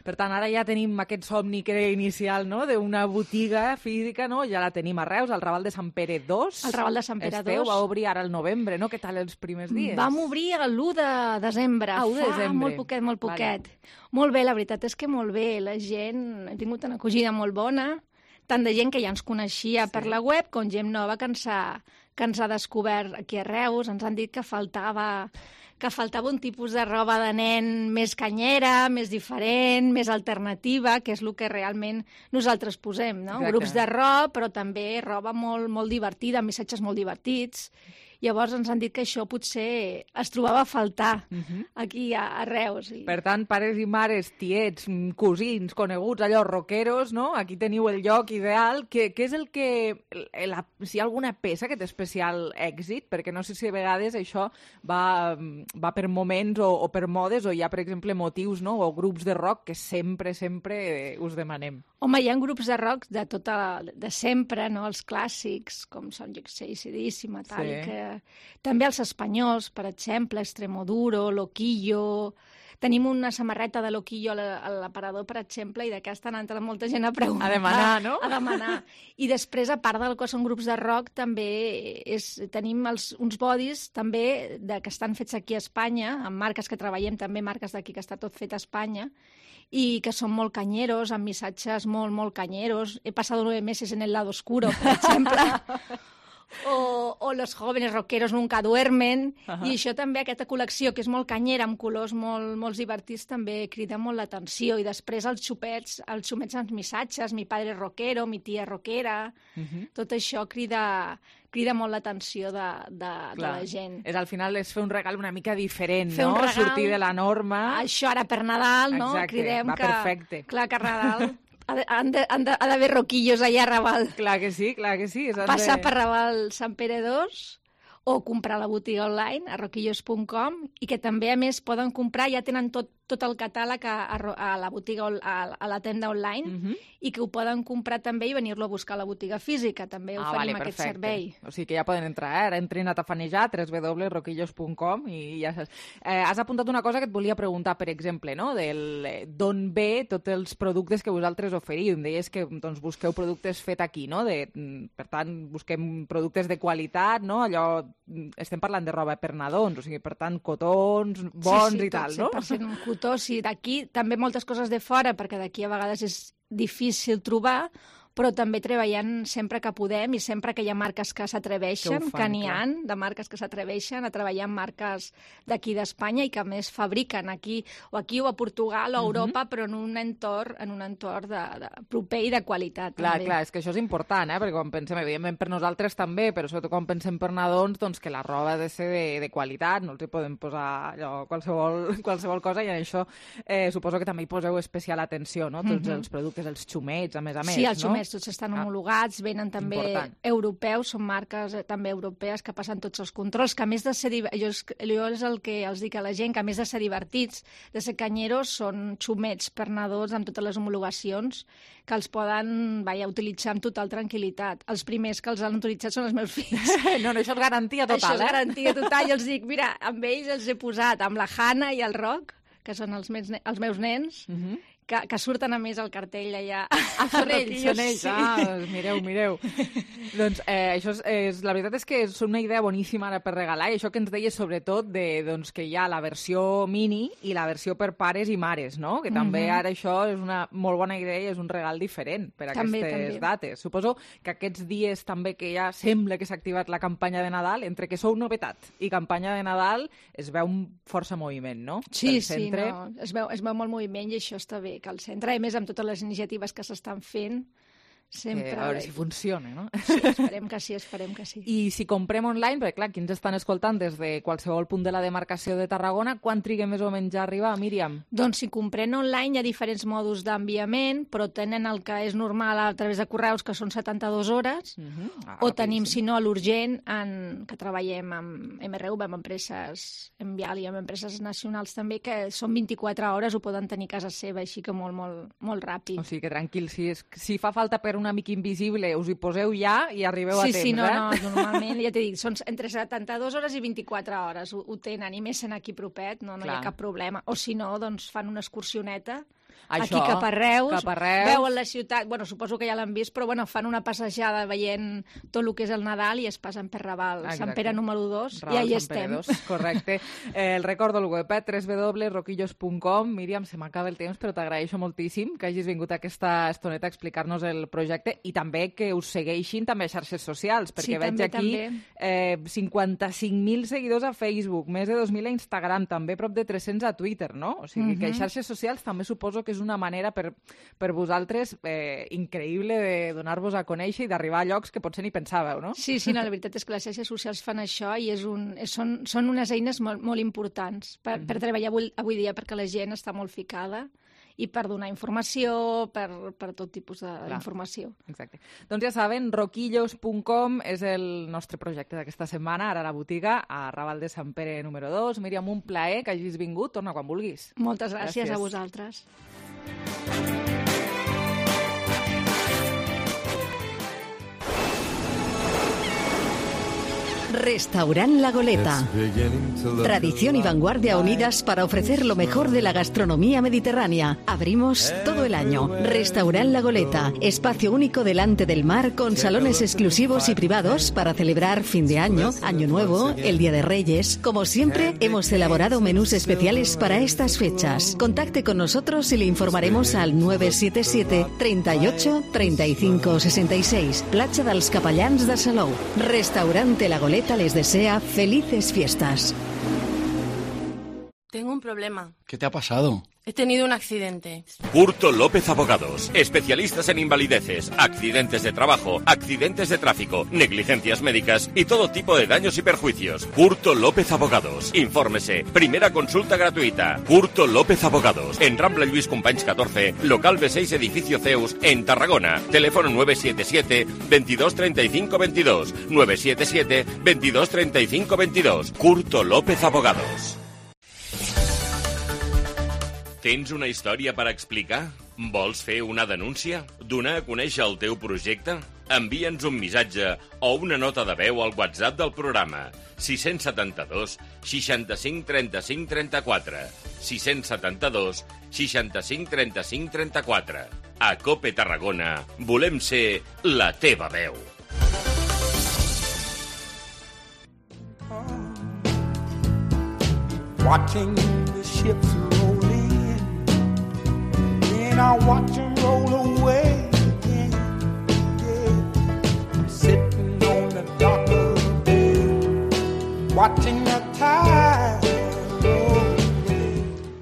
Speaker 3: Per tant, ara ja tenim aquest somni que era inicial, no?, d'una botiga física, no? Ja la tenim a Reus, al Raval de Sant Pere 2.
Speaker 17: El Raval de Sant Pere 2.
Speaker 3: Va obrir ara el novembre, no? Què tal els primers dies?
Speaker 17: Vam obrir l'1 de desembre. Molt poquet. Molt bé, la veritat és que molt bé. La gent ha tingut una acogida molt bona, tant de gent que ja ens coneixia per la web com gent nova que ens ha descobert aquí a Reus. Ens han dit que faltava un tipus de roba de nen més canyera, més diferent, més alternativa, que és el que realment nosaltres posem, no? Exacte. Grups de roba, però també roba molt, molt divertida, missatges molt divertits. Llavors ens han dit que això potser es trobava a faltar aquí a Reus.
Speaker 3: Per tant, pares i mares, tiets, cosins, coneguts, allò, rockeros, no? Aquí teniu el lloc ideal. Què és el que... si hi ha alguna peça que té especial èxit? Perquè no sé si a vegades això va per moments o per modes, o hi ha, per exemple, motius, no?, o grups de rock que sempre us demanem.
Speaker 17: Home, hi ha grups de rock de sempre, no?, els clàssics, com són, jo què sé, AC/DC, Metallica... També els espanyols, per exemple, Extremoduro, Loquillo. Tenim una samarreta de Loquillo a l'aparador, per exemple, i d'aquesta ha entrat molta gent a preguntar.
Speaker 3: A demanar, no?
Speaker 17: A demanar. I després, a part del que són grups de rock, també tenim uns bodis també que estan fets aquí a Espanya, amb marques que treballem, també marques d'aquí, que està tot fet a Espanya, i que són molt canyeros, amb missatges molt, molt canyeros. He passat 9 meses en el lado oscuro, per exemple. o Los jóvenes rockeros nunca duermen, i això també, aquesta col·lecció, que és molt canyera, amb colors molt divertits, també crida molt l'atenció. I després els xumets amb missatges, mi padre rockero, mi tia rockera, tot això crida molt l'atenció de la gent.
Speaker 3: Al final és fer un regal una mica diferent,
Speaker 17: fer
Speaker 3: no?
Speaker 17: Un regal,
Speaker 3: sortir de la norma.
Speaker 17: Això ara per Nadal, no?
Speaker 3: Exacte,
Speaker 17: cridem
Speaker 3: va perfecte.
Speaker 17: Clar, que a Nadal ha d'haver roquillos allà a Raval.
Speaker 3: Clar que sí.
Speaker 17: Passar per Raval Sant Pere 2 o comprar a la botiga online a roquillos.com, i que també, a més, poden comprar, ja tenen tot el catàleg a la botiga, a la tenda online, i que ho poden comprar també i venir-lo a buscar a la botiga física. També oferim aquest servei.
Speaker 3: O sigui que ja poden entrar, ara entrin a tafanejar, www.roquillos.com, i ja saps. Has apuntat una cosa que et volia preguntar, per exemple, no? D'on ve tots els productes que vosaltres oferiu. Em deies que doncs, busqueu productes fet aquí, no? Per tant, busquem productes de qualitat, no? Allò, estem parlant de roba per nadons, o sigui, per tant, cotons bons i tal, no?
Speaker 17: Sí, 100% cotó, sí, d'aquí també moltes coses de fora, perquè d'aquí a vegades és difícil trobar, però també treballant sempre que podem i sempre que hi ha marques que s'atreveixen, que n'hi ha de marques que s'atreveixen a treballar amb marques d'aquí d'Espanya i que a més fabriquen aquí o a Portugal o a Europa, però en un entorn proper i de qualitat.
Speaker 3: Clar, és que això és important, perquè quan pensem, evidentment per nosaltres també, però sobretot quan pensem per nadons, doncs que la roba ha de ser de qualitat, no els hi podem posar allò, qualsevol cosa, i en això suposo que també hi poseu especial atenció, no? Tots els productes, els xumets, a més,
Speaker 17: sí, els xumets tots estan homologats, venen també europeus, són marques també europees que passen tots els controls, que a més de ser... Jo és el que els dic a la gent, que a més de ser divertits, de ser canyeros, són xumets per nadons amb totes les homologacions que els poden utilitzar amb total tranquil·litat. Els primers que els han utilitzat són els meus fills.
Speaker 3: No, això és garantia total,
Speaker 17: Això és garantia total, i els dic, mira, amb ells els he posat, amb la Hanna i el Roc, que són els meus nens, que surten a més al cartell allà.
Speaker 3: Són ells. Mireu. Doncs això la veritat és que és una idea boníssima ara per regalar, i això que ens deies sobretot que hi ha la versió mini i la versió per pares i mares, no? Que també ara això és una molt bona idea i és un regal diferent per a aquestes dates. Suposo que aquests dies també que ja sembla que s'ha activat la campanya de Nadal, entre que sou novetat i campanya de Nadal, es veu un força moviment, no?
Speaker 17: Sí, es veu molt moviment, i això està bé, que al centre, a més, amb totes les iniciatives que s'estan fent, sempre...
Speaker 3: A veure si funciona, no?
Speaker 17: Sí, esperem que sí.
Speaker 3: I si comprem online, perquè clar, qui ens estan escoltant des de qualsevol punt de la demarcació de Tarragona, quan triga més o menys a arribar, Míriam?
Speaker 17: Doncs si comprem online hi ha diferents mòduls d'enviament, però tenen el que és normal a través de correus, que són 72 hores, o tenim, si no, l'urgent, que treballem amb MRV, amb empreses Envial i amb empreses nacionals també, que són 24 hores, ho poden tenir a casa seva, així que molt ràpid.
Speaker 3: O sigui que tranquil, si fa falta per un amic invisible, us hi poseu ja i arribeu a temps,
Speaker 17: Sí, normalment, ja t'he dit, són entre 72 hores i 24 hores, ho tenen, i més sent aquí propet, no hi ha cap problema. O si no, doncs fan una excursioneta, aquí cap a Reus, veuen la ciutat, suposo que ja l'han vist, però fan una passejada veient tot el que és el Nadal i es passen per Raval, Sant Pere número 2, i ahí estem.
Speaker 3: Correcte. El recordo el web, www.roquillos.com. Míriam, se m'acaba el temps, però t'agraeixo moltíssim que hagis vingut a aquesta estoneta a explicar-nos el projecte, i també que us segueixin també a xarxes socials, perquè veig aquí 55.000 seguidors a Facebook, més de 2.000 a Instagram, també prop de 300 a Twitter, no? O sigui que a xarxes socials també suposo que és una manera per vosaltres increïble de donar-vos a conèixer i d'arribar a llocs que potser ni pensàveu, no?
Speaker 17: Sí, la veritat és que les xarxes socials fan això i són unes eines molt importants per treballar avui dia, perquè la gent està molt ficada i per donar informació, per tot tipus d'informació.
Speaker 3: Exacte. Doncs ja saben, roquillos.com és el nostre projecte d'aquesta setmana, ara a la botiga, a Raval de Sant Pere número 2. Míriam, un plaer que hagis vingut. Torna quan vulguis.
Speaker 17: Moltes gràcies a vosaltres.
Speaker 18: Restaurant La Goleta. Tradición y vanguardia unidas para ofrecer lo mejor de la gastronomía mediterránea. Abrimos todo el año. Restaurant La Goleta. Espacio único delante del mar con salones exclusivos y privados para celebrar fin de año, Año Nuevo, el Día de Reyes. Como siempre, hemos elaborado menús especiales para estas fechas. Contacte con nosotros y le informaremos al 977 38 35 66. Platja dels Capellans de Salou. Restaurante La Goleta les desea felices fiestas.
Speaker 19: Tengo un problema.
Speaker 20: ¿Qué te ha pasado?
Speaker 19: He tenido un accidente.
Speaker 14: Curto López Abogados, especialistas en invalideces, accidentes de trabajo, accidentes de tráfico, negligencias médicas y todo tipo de daños y perjuicios. Curto López Abogados. Infórmese. Primera consulta gratuita. Curto López Abogados. En Rambla Lluís Companys 14, local B6, edificio Zeus, en Tarragona. Teléfono 977 22 35 22. 977 22 35 22. Curto López Abogados. Tens una història per explicar? Vols fer una denúncia? Donar a conèixer el teu projecte? Envia'ns un missatge o una nota de veu al WhatsApp del programa 672 65 35 34 672 65 35 34. A COPE Tarragona volem ser la teva veu.
Speaker 21: Watching the ships roll in, and I watch them roll away again. Yeah. Sitting on the dock of the bay, watching the tide roll away.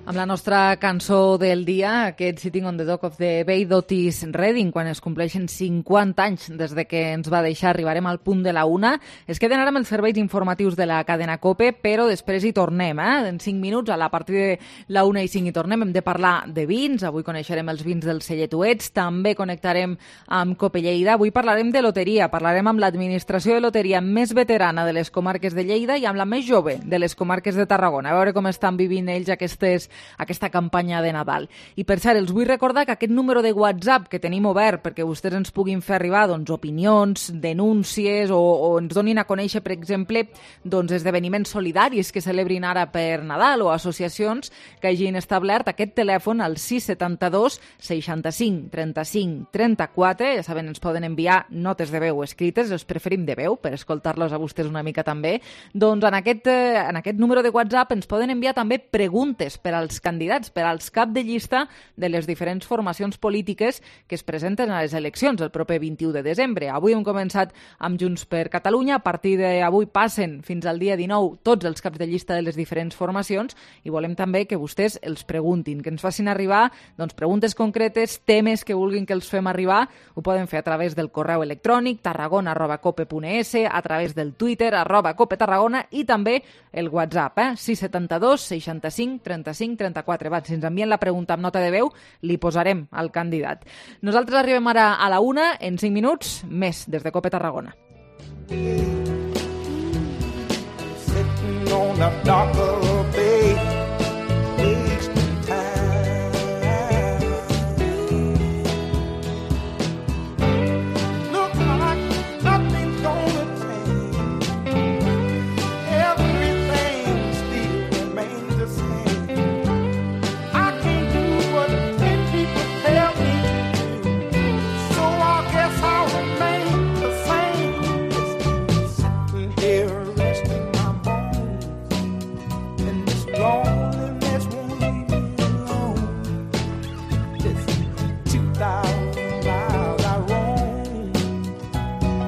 Speaker 3: Amb la nostra cançó del dia, aquest Sitting on the Dock of the Bay d'Otis Redding, quan es compleixen 50 anys des de que ens va deixar, arribarem al punt de la 1. Es queden ara amb els serveis informatius de la cadena COPE, però després hi tornem, en 5 minuts, a la partir de la 1:05 hi tornem. Hem de parlar de vins, avui coneixerem els vins del Celletuets, també connectarem amb COPE Lleida, avui parlarem de loteria, parlarem amb l'administració de loteria més veterana de les comarques de Lleida i amb la més jove de les comarques de Tarragona, a veure com estan vivint ells aquesta campanya de Nadal. I per cert, els vull recordar que aquest número de WhatsApp que tenim obert perquè vostès ens puguin fer arribar opinions, denúncies o ens donin a conèixer, per exemple, esdeveniments solidaris que celebrin ara per Nadal o associacions que hagin establert aquest telèfon al 672 65 35 34. Ja saben, ens poden enviar notes de veu escrites, els preferim de veu per escoltar-los a vostès una mica també. Doncs en aquest número de WhatsApp ens poden enviar també preguntes per als candidats, per als cap de llista de les diferents formacions polítiques que es presenten a les eleccions el proper 21 de desembre. Avui hem començat amb Junts per Catalunya, a partir d'avui passen fins al dia 19 tots els caps de llista de les diferents formacions i volem també que vostès els preguntin, que ens facin arribar preguntes concretes, temes que vulguin que els fem arribar. Ho poden fer a través del correu electrònic tarragona@cope.es, a través del Twitter @copetarragona i també el WhatsApp 672 65 35 34. Si ens envien la pregunta amb nota de veu, li posarem al candidat. Nosaltres arribem ara a la 1, en 5 minuts, més des de COPE Tarragona.
Speaker 21: Sitting on the dock of the bay, wasting time. Look like nothing's gonna change. Everything still remains the same. I can't do what 10 people tell me to do, so I guess I'll remain the same. Sitting here resting my bones, and this loneliness won't leave me alone. This 2,000 miles I roam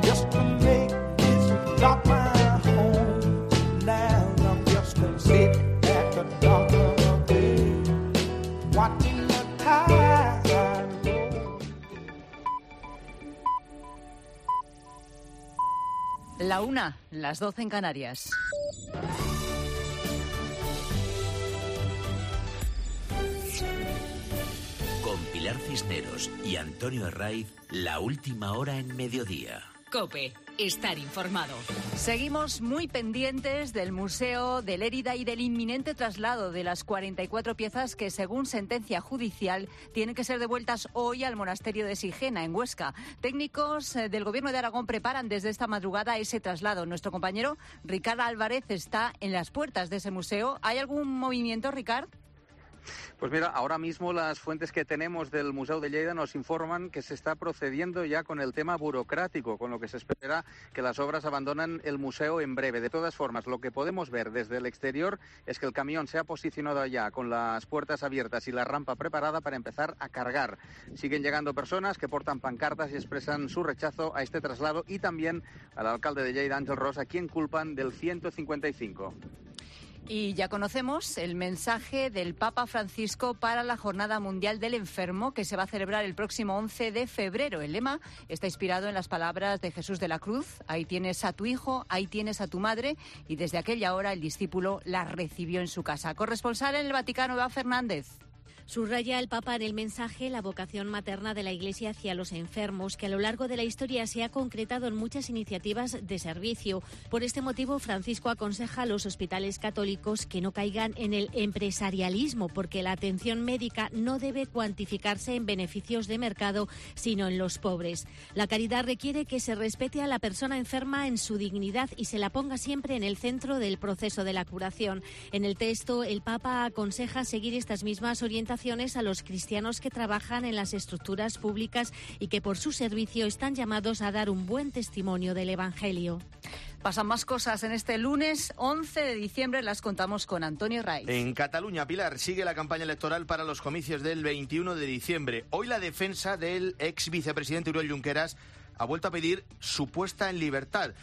Speaker 21: just to make this dock my home. Now I'm just gonna sit at the dock of the bay, watching the tide roll.
Speaker 22: La 1, las 12 en Canarias.
Speaker 23: Con Pilar Cisneros y Antonio Herraiz, la última hora en mediodía.
Speaker 2: COPE. Estar informado.
Speaker 22: Seguimos muy pendientes del Museo de Lérida y del inminente traslado de las 44 piezas que, según sentencia judicial, tienen que ser devueltas hoy al monasterio de Sigena, en Huesca. Técnicos del Gobierno de Aragón preparan desde esta madrugada ese traslado. Nuestro compañero Ricard Álvarez está en las puertas de ese museo. ¿Hay algún movimiento, Ricard?
Speaker 4: Pues mira, ahora mismo las fuentes que tenemos del Museu de Lleida nos informan que se está procediendo ya con el tema burocrático, con lo que se espera que las obras abandonen el museo en breve. De todas formas, lo que podemos ver desde el exterior es que el camión se ha posicionado allá con las puertas abiertas y la rampa preparada para empezar a cargar. Siguen llegando personas que portan pancartas y expresan su rechazo a este traslado, y también al alcalde de Lleida, Ángel Ros, a quien culpan del 155.
Speaker 22: Y ya conocemos el mensaje del Papa Francisco para la Jornada Mundial del Enfermo, que se va a celebrar el próximo 11 de febrero. El lema está inspirado en las palabras de Jesús de la Cruz: ahí tienes a tu hijo, ahí tienes a tu madre, y desde aquella hora el discípulo la recibió en su casa. Corresponsal en el Vaticano, Eva Fernández.
Speaker 20: Subraya el Papa en el mensaje la vocación materna de la Iglesia hacia los enfermos, que a lo largo de la historia se ha concretado en muchas iniciativas de servicio. Por este motivo, Francisco aconseja a los hospitales católicos que no caigan en el empresarialismo, porque la atención médica no debe cuantificarse en beneficios de mercado, sino en los pobres. La caridad requiere que se respete a la persona enferma en su dignidad y se la ponga siempre en el centro del proceso de la curación. En el texto, el Papa aconseja seguir estas mismas orientaciones a los cristianos que trabajan en las estructuras públicas y que por su servicio están llamados a dar un buen testimonio del Evangelio.
Speaker 22: Pasan más cosas en este lunes 11 de diciembre, las contamos con Antonio Raiz.
Speaker 23: En Cataluña, Pilar, sigue la campaña electoral para los comicios del 21 de diciembre. Hoy la defensa del ex vicepresidente Oriol Junqueras ha vuelto a pedir su puesta en libertad.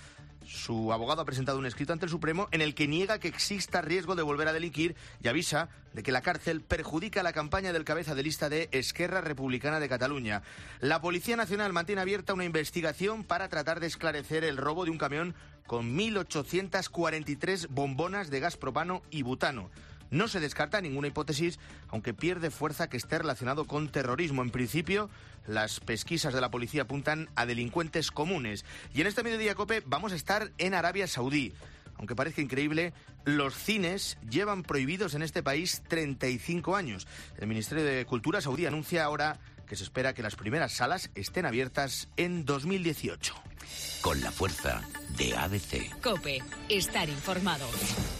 Speaker 23: Su abogado ha presentado un escrito ante el Supremo en el que niega que exista riesgo de volver a delinquir y avisa de que la cárcel perjudica la campaña del cabeza de lista de Esquerra Republicana de Cataluña. La Policía Nacional mantiene abierta una investigación para tratar de esclarecer el robo de un camión con 1.843 bombonas de gas propano y butano. No se descarta ninguna hipótesis, aunque pierde fuerza que esté relacionado con terrorismo. En principio, las pesquisas de la policía apuntan a delincuentes comunes. Y en este Mediodía COPE vamos a estar en Arabia Saudí. Aunque parezca increíble, los cines llevan prohibidos en este país 35 años. El Ministerio de Cultura saudí anuncia ahora que se espera que las primeras salas estén abiertas en 2018.
Speaker 24: Con la fuerza de ABC.
Speaker 2: COPE. Estar informado.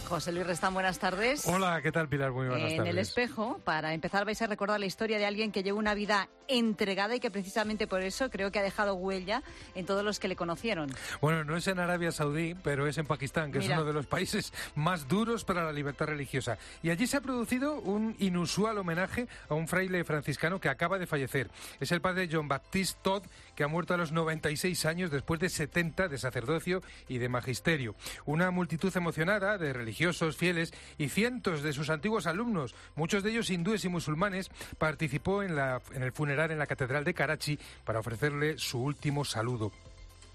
Speaker 22: José Luis Restán, buenas tardes.
Speaker 25: Hola, ¿qué tal, Pilar? Muy buenas tardes.
Speaker 22: En El Espejo, para empezar, vais a recordar la historia de alguien que llevó una vida entregada y que precisamente por eso creo que ha dejado huella en todos los que le conocieron.
Speaker 25: Bueno, no es en Arabia Saudí, pero es en Pakistán, que es uno de los países más duros para la libertad religiosa. Y allí se ha producido un inusual homenaje a un fraile franciscano que acaba de fallecer. Es el padre John Baptiste Todd, que ha muerto a los 96 años después de 70 de sacerdocio y de magisterio. Una multitud emocionada de religiosos, fieles y cientos de sus antiguos alumnos, muchos de ellos hindúes y musulmanes, participó en el funeral en la Catedral de Karachi para ofrecerle su último saludo.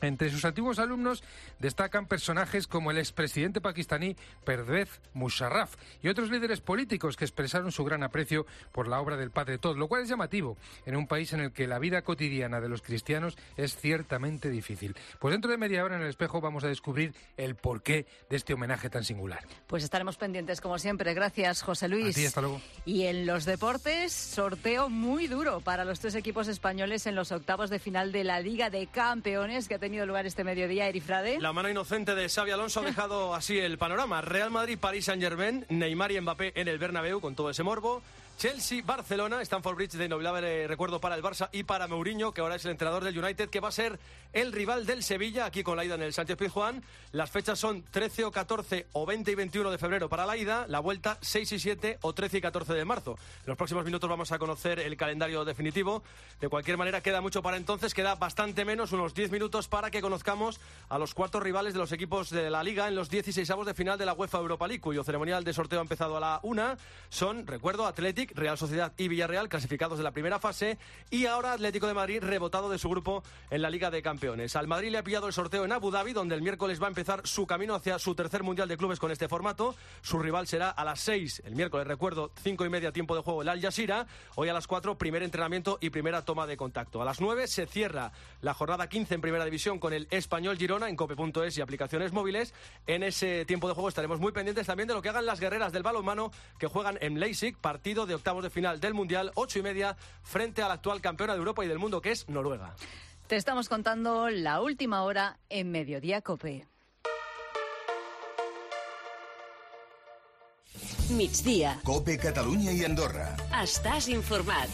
Speaker 25: Entre sus antiguos alumnos destacan personajes como el expresidente pakistaní Pervez Musharraf y otros líderes políticos que expresaron su gran aprecio por la obra del padre Todd, lo cual es llamativo en un país en el que la vida cotidiana de los cristianos es ciertamente difícil. Pues dentro de media hora en El Espejo vamos a descubrir el porqué de este homenaje tan singular.
Speaker 22: Pues estaremos pendientes como siempre. Gracias, José Luis.
Speaker 25: A ti, hasta luego.
Speaker 22: Y en los deportes, sorteo muy duro para los tres equipos españoles en los octavos de final de la Liga de Campeones que ha tenido lugar este mediodía. Eri Frade.
Speaker 26: La mano inocente de Xabi Alonso ha dejado así el panorama. Real Madrid, París Saint-Germain, Neymar y Mbappé en el Bernabéu con todo ese morbo. Chelsea, Barcelona, Stamford Bridge de inolvidable recuerdo para el Barça y para Mourinho, que ahora es el entrenador del United, que va a ser el rival del Sevilla, aquí con la ida en el Sánchez-Pizjuán. Las fechas son 13 o 14 o 20 y 21 de febrero para la ida, la vuelta 6 y 7 o 13 y 14 de marzo. En los próximos minutos vamos a conocer el calendario definitivo. De cualquier manera, queda mucho para entonces, queda bastante menos, unos 10 minutos para que conozcamos a los cuartos rivales de los equipos de la Liga en los 16avos de final de la UEFA Europa League, cuyo ceremonial de sorteo ha empezado a la 1. Son, recuerdo, Athletic, League, Real Sociedad y Villarreal, clasificados de la primera fase, y ahora Atlético de Madrid, rebotado de su grupo en la Liga de Campeones. Al Madrid le ha pillado el sorteo en Abu Dhabi, donde el miércoles va a empezar su camino hacia su tercer Mundial de Clubes con este formato. Su rival será a las 6, el miércoles, recuerdo, 5:30 tiempo de juego, el Al Jazeera. Hoy a las 4, primer entrenamiento y primera toma de contacto. A las 9 se cierra la jornada 15 en Primera División con el Español Girona en cope.es y aplicaciones móviles. En ese tiempo de juego estaremos muy pendientes también de lo que hagan las guerreras del balonmano, que juegan en Leipzig, partido de octavos de final del Mundial, 8:30, frente a la actual campeona de Europa y del mundo, que es Noruega.
Speaker 22: Te estamos contando la última hora en Mediodía Cope.
Speaker 18: Migdia.
Speaker 13: Cope Catalunya y Andorra.
Speaker 18: Estás informat.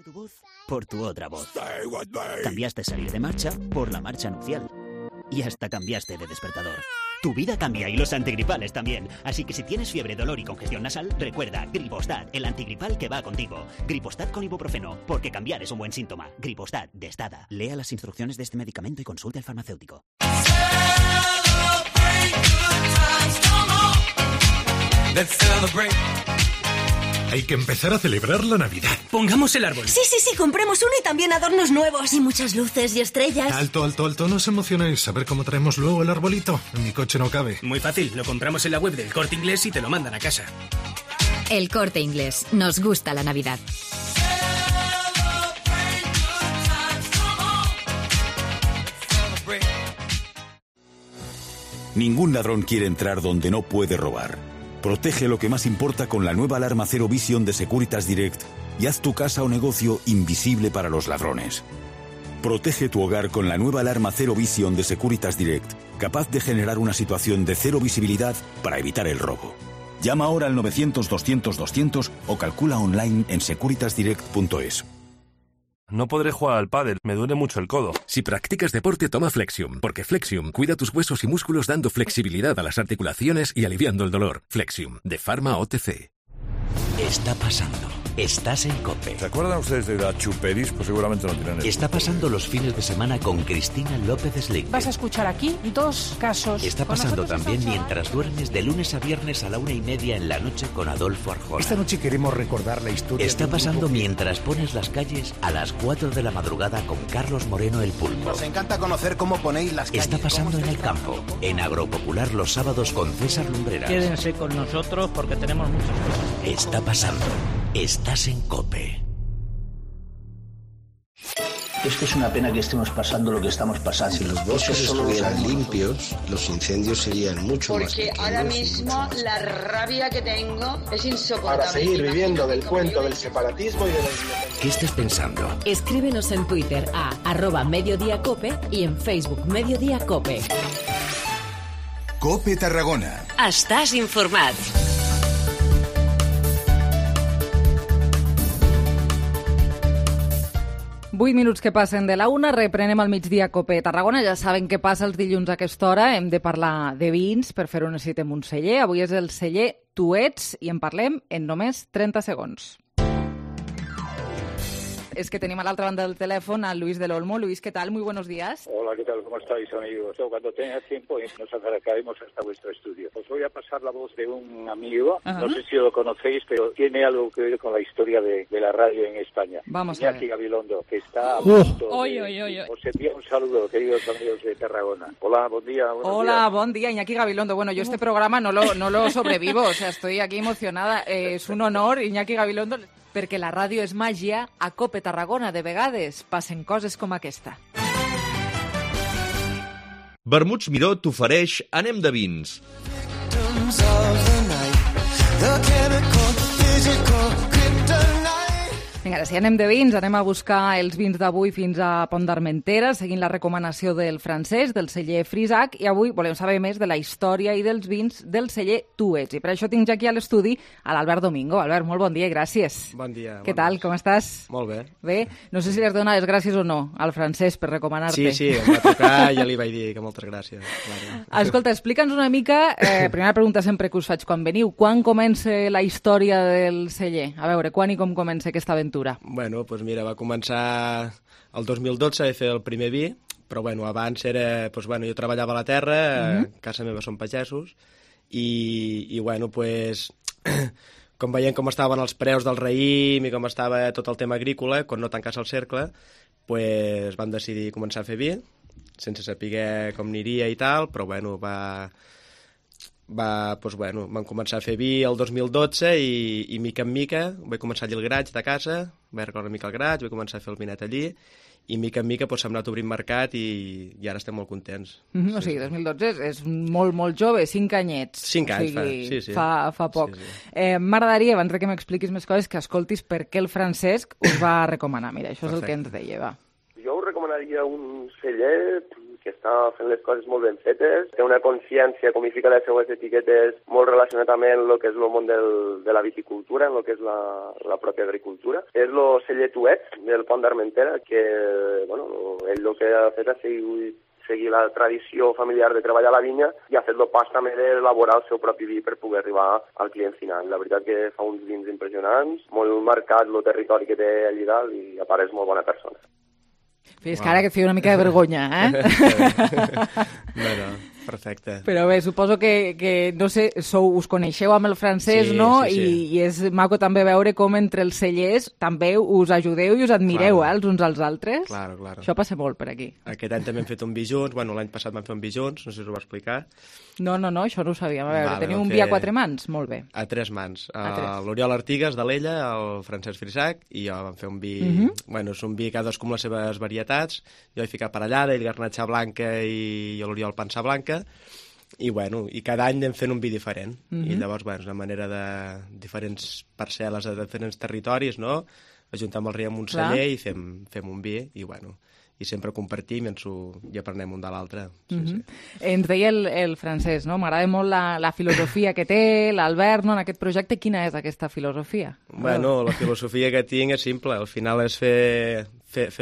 Speaker 5: Tu voz por tu otra voz. Cambiaste salir de marcha por la marcha nupcial. Y hasta cambiaste de despertador. Tu vida cambia y los antigripales también. Así que si tienes fiebre, dolor y congestión nasal, recuerda Gripostat, el antigripal que va contigo. Gripostat con ibuprofeno, porque cambiar es un buen síntoma. Gripostat, de Estada. Lea las instrucciones de este medicamento y consulte al farmacéutico.
Speaker 6: Hay que empezar a celebrar la Navidad.
Speaker 7: Pongamos el árbol.
Speaker 8: Sí, compremos uno y también adornos nuevos. Y muchas luces y estrellas.
Speaker 6: Alto, no os emocionéis. A ver cómo traemos luego el arbolito. En mi coche no cabe.
Speaker 7: Muy fácil, lo compramos en la web del Corte Inglés y te lo mandan a casa.
Speaker 9: El Corte Inglés. Nos gusta la Navidad.
Speaker 10: Ningún ladrón quiere entrar donde no puede robar. Protege lo que más importa con la nueva alarma Zero Vision de Securitas Direct y haz tu casa o negocio invisible para los ladrones. Protege tu hogar con la nueva alarma Zero Vision de Securitas Direct, capaz de generar una situación de cero visibilidad para evitar el robo. Llama ahora al 900-200-200 o calcula online en securitasdirect.es.
Speaker 27: No podré jugar al pádel, me duele mucho el codo.
Speaker 11: Si practicas deporte, toma Flexium, porque Flexium cuida tus huesos y músculos dando flexibilidad a las articulaciones y aliviando el dolor. Flexium, de Pharma OTC.
Speaker 24: Está pasando. Estás en COPE.
Speaker 28: ¿Se acuerdan ustedes de la Chuperis? Pues seguramente no tienen eso.
Speaker 24: Está pasando los fines de semana con Cristina López Slick.
Speaker 29: Vas a escuchar aquí 2 casos.
Speaker 24: Está pasando también mientras duermes de lunes a viernes a la 1:30 en la noche con Adolfo Arjona.
Speaker 28: Esta noche queremos recordar la historia.
Speaker 24: Está pasando mientras pones las calles a las 4 de la madrugada con Carlos Moreno el Pulpo.
Speaker 28: Nos encanta conocer cómo ponéis las calles.
Speaker 24: Está pasando en el campo, en Agropopular los sábados con César Lumbreras.
Speaker 30: Quédense con nosotros porque tenemos muchas cosas.
Speaker 24: Está pasando. Estás en COPE.
Speaker 31: Es que es una pena que estemos pasando lo que estamos pasando.
Speaker 32: Si los bosques estuvieran limpios, los incendios serían mucho más pequeños.
Speaker 33: Porque ahora mismo la rabia que tengo es insoportable.
Speaker 34: Para seguir viviendo del cuento del separatismo y de la independencia.
Speaker 24: ¿Qué estás pensando?
Speaker 9: Escríbenos en Twitter a @mediodíacope y en Facebook Mediodía Cope.
Speaker 13: Cope Tarragona.
Speaker 18: Estàs informat.
Speaker 3: 8 minuts que passen de la 1, reprenem al migdia Cope Tarragona. Ja saben què passa els dilluns a aquesta hora. Hem de parlar de vins, per fer-ho necessitem un celler. Avui és el celler Tu Ets i en parlem en només 30 segons. Es que tenemos a la otra banda del teléfono a Luis del Olmo. Luis, ¿qué tal? Muy buenos días.
Speaker 35: Hola, ¿qué tal? ¿Cómo estáis, amigos? Cuando tenga tiempo nos acercaremos hasta vuestro estudio. Os voy a pasar la voz de un amigo, no sé si lo conocéis, pero tiene algo que ver con la historia de la radio en España.
Speaker 3: Vamos a ver.
Speaker 35: Iñaki Gabilondo, que está a punto
Speaker 3: de...
Speaker 35: Os envío un saludo, queridos amigos de Tarragona. Hola, buen día.
Speaker 3: Hola, buen día, Iñaki Gabilondo. Bueno, yo este programa no lo sobrevivo, o sea, estoy aquí emocionada. Es un honor, Iñaki Gabilondo, perquè la ràdio és màgia. A Cope Tarragona, de vegades, passen coses com aquesta.
Speaker 36: Vermuts Miró t'ofereix Anem de vins.
Speaker 3: Vinga, ara sí, anem de vins, anem a buscar els vins d'avui fins a Pont d'Armentera, seguint la recomanació del francès, del celler Frisac, i avui volem saber més de la història i dels vins del celler Tu Ets. I per això tinc ja aquí a l'estudi a l'Albert Domingo. Albert, molt bon dia i gràcies.
Speaker 37: Bon dia.
Speaker 3: Què tal, com estàs?
Speaker 37: Molt bé.
Speaker 3: Bé, no sé si li has donat les gràcies o no al francès per recomanar-te.
Speaker 37: Sí, em va tocar, ja li vaig dir que moltes gràcies. Claro.
Speaker 3: Escolta, explica'ns una mica, primera pregunta sempre que us faig quan veniu, quan comença la història del celler? A veure, quan i com comença aquesta aventura?
Speaker 37: Bueno, doncs mira, va començar el 2012 a fer el primer vi, però bueno, abans era, doncs bueno, jo treballava a la terra, casa meva són pagesos, i bueno, pues, com veient com estaven els preus del raïm i com estava tot el tema agrícola, quan no tancàs el cercle, pues, vam decidir començar a fer vi, sense saber com aniria i tal, però bueno, vam començar a fer vi el 2012 i mica en mica vaig començar allí el graig de casa, vaig arreglar una mica el graig, vaig començar a fer el vinet allí, i mica en mica s'ha anat obrint mercat i ara estem molt contents.
Speaker 3: O sigui, 2012 és molt, molt jove, 5 anyets.
Speaker 37: 5 anys
Speaker 3: fa poc. M'agradaria, abans que m'expliquis més coses, que escoltis per què el Francesc us va recomanar. Mira, això és el que ens deia, va.
Speaker 1: Jo us recomanaria un celler que està fent les coses molt ben fetes, té una consciència, com hi fica les seues etiquetes, molt relacionat amb el que és el món de la viticultura, en el que és la pròpia agricultura. És el celler Tuet, del Pont d'Armentera, que ell el que ha fet és seguir la tradició familiar de treballar a la vinya i ha fet el pas també d'elaborar el seu propi vi per poder arribar al client final. La veritat que fa uns vins impressionants, molt marcat el territori que té allà dalt i a part és molt bona persona.
Speaker 3: Fins que ara que et feia una mica de vergonya,
Speaker 37: No, perfecte.
Speaker 3: Però bé, suposo que no sé, us coneixeu amb el francès, no?
Speaker 37: Sí.
Speaker 3: I és maco també veure com entre els cellers també us ajudeu i us admireu, els uns als altres.
Speaker 37: Claro.
Speaker 3: Això passa molt per aquí.
Speaker 37: Aquest any també hem fet un vi junts, l'any passat vam fer un vi junts, no sé si us ho va explicar.
Speaker 3: No, això no ho sabíem. A veure, teniu un vi a 4 mans? Molt bé.
Speaker 37: A 3 mans. L'Oriol Artigas, de l'Ella, el Francesc Frisac, i jo vam fer un vi... És un vi cadascú amb les seves varietats. Jo he ficat parellada, ell garnatxa blanca i l'Oriol pansa blanca. I cada any anem fent un vi diferent. I llavors, una manera de diferents parcel·les de diferents territoris, no? Ajuntem el riu amb un celler i fem un vi, i sempre compartim i aprenem un de l'altre.
Speaker 3: Ens deia el francès, no? M'agrada molt la filosofia que té l'Albert, no? En aquest projecte. Quina és aquesta filosofia?
Speaker 37: La filosofia que tinc és simple. Al final és fer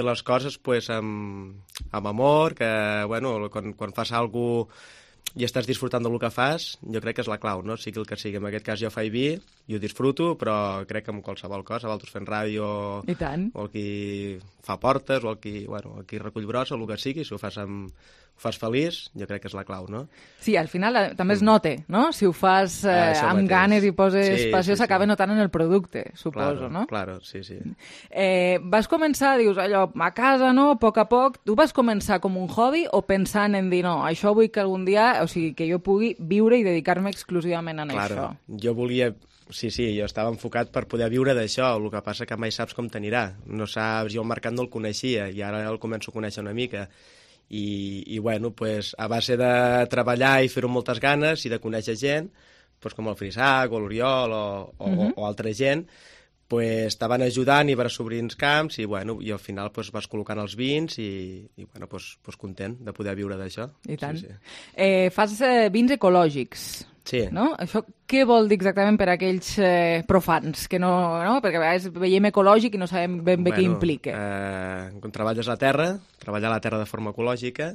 Speaker 37: les coses amb amor, que quan fas alguna cosa i estàs disfrutant del que fas, jo crec que és la clau, no? Sigui el que sigui. En aquest cas jo faig vi i ho disfruto, però crec que amb qualsevol cosa, vosaltres fent ràdio, o el qui fa portes, o el qui recull brossa, o el que sigui, si ho fas feliç, jo crec que és la clau, no?
Speaker 3: Sí, al final també es nota, no? Si ho fas amb ganes i poses passió, s'acaba notant en el producte, suposo, no?
Speaker 37: Claro, sí.
Speaker 3: Vas començar, dius, allò, a casa, no?, a poc, tu vas començar com un hobby o pensant en dir, no, això vull que algun dia, o sigui, que jo pugui viure i dedicar-me exclusivament a això?
Speaker 37: Jo volia... Sí, jo estava enfocat per poder viure d'això, el que passa que mai saps com t'anirà. No saps, jo el mercat no el coneixia i ara el començo a conèixer una mica. I a base de treballar i fer-ho amb moltes ganes i de conèixer gent, com el Frisac o l'Oriol o altra gent, estaven ajudant i vas obrint camps i al final vas col·locant els vins i content de poder viure d'això.
Speaker 3: I tant. Fas vins ecològics.
Speaker 37: Sí.
Speaker 3: No? Això què vol dir exactament per a aquells profans? Que no? Perquè a vegades veiem ecològic i no sabem ben bé què implica.
Speaker 37: Quan treballes la terra, treballar la terra de forma ecològica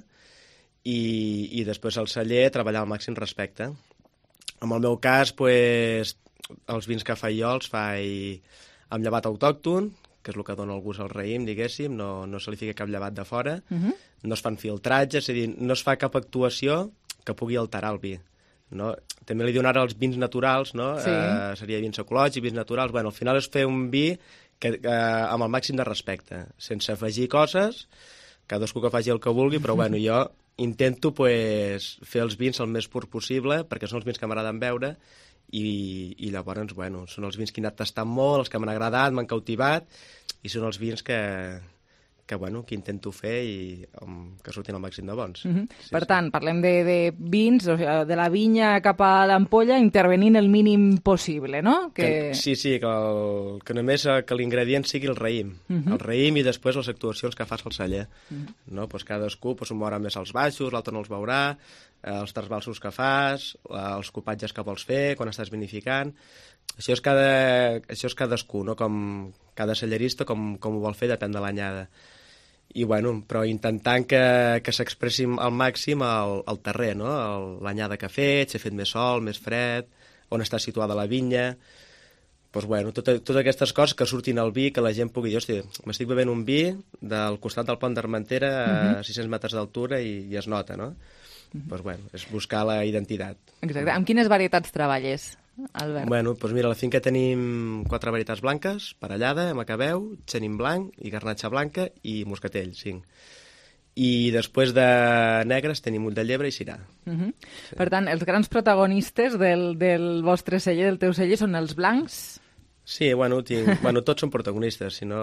Speaker 37: i després al celler treballar al màxim respecte. En el meu cas, els vins que faig jo els faig amb llevat autòcton, que és el que dona el gust al raïm, diguéssim, no se li fica cap llevat de fora, no es fan filtratges, és a dir, no es fa cap actuació que pugui alterar el vi. No? També li diuen ara els vins naturals, no? Seria vins ecològics, vins naturals. Al final és fer un vi amb el màxim de respecte, sense afegir coses, cadascú que faci el que vulgui, però jo intento fer els vins el més pur possible, perquè són els vins que m'agraden beure, i llavors, són els vins que he anat tastant molt, els que m'han agradat, m'han cautivat, i són els vins que intento fer i que surtin al màxim de bons.
Speaker 3: Per tant, parlem de vins, de la vinya cap a l'ampolla, intervenint el mínim possible, no?
Speaker 37: Sí, que només que l'ingredient sigui el raïm. El raïm i després les actuacions que fas al celler. Cadascú ho mourà més als baixos, l'altre no els veurà, els trasbalsos que fas, els copatges que vols fer, quan estàs vinificant... Això és cadascú, no? Com cada cellerista, com ho vol fer, depèn de l'anyada. Però intentant que s'expressi al màxim el terrer, no? L'anyada que ha fet, si ha fet més sol, més fred, on està situada la vinya... Totes aquestes coses que surtin al vi, que la gent pugui dir, hòstia, m'estic bevent un vi del costat del Pont d'Armentera a 600 metres d'altura i es nota, no? És buscar la identitat.
Speaker 3: Exacte. Amb quines varietats treballes? Albert?
Speaker 37: Bueno, doncs mira, a la finca tenim 4 varietats blanques, parellada, macabeu, xenin blanc i garnatxa blanca i moscatell, 5. I després de negres tenim ull de llebre i cirà.
Speaker 3: Sí. Per tant, els grans protagonistes del vostre celler, del teu celler, són els blancs?
Speaker 37: Sí, bueno, tots són protagonistes, si no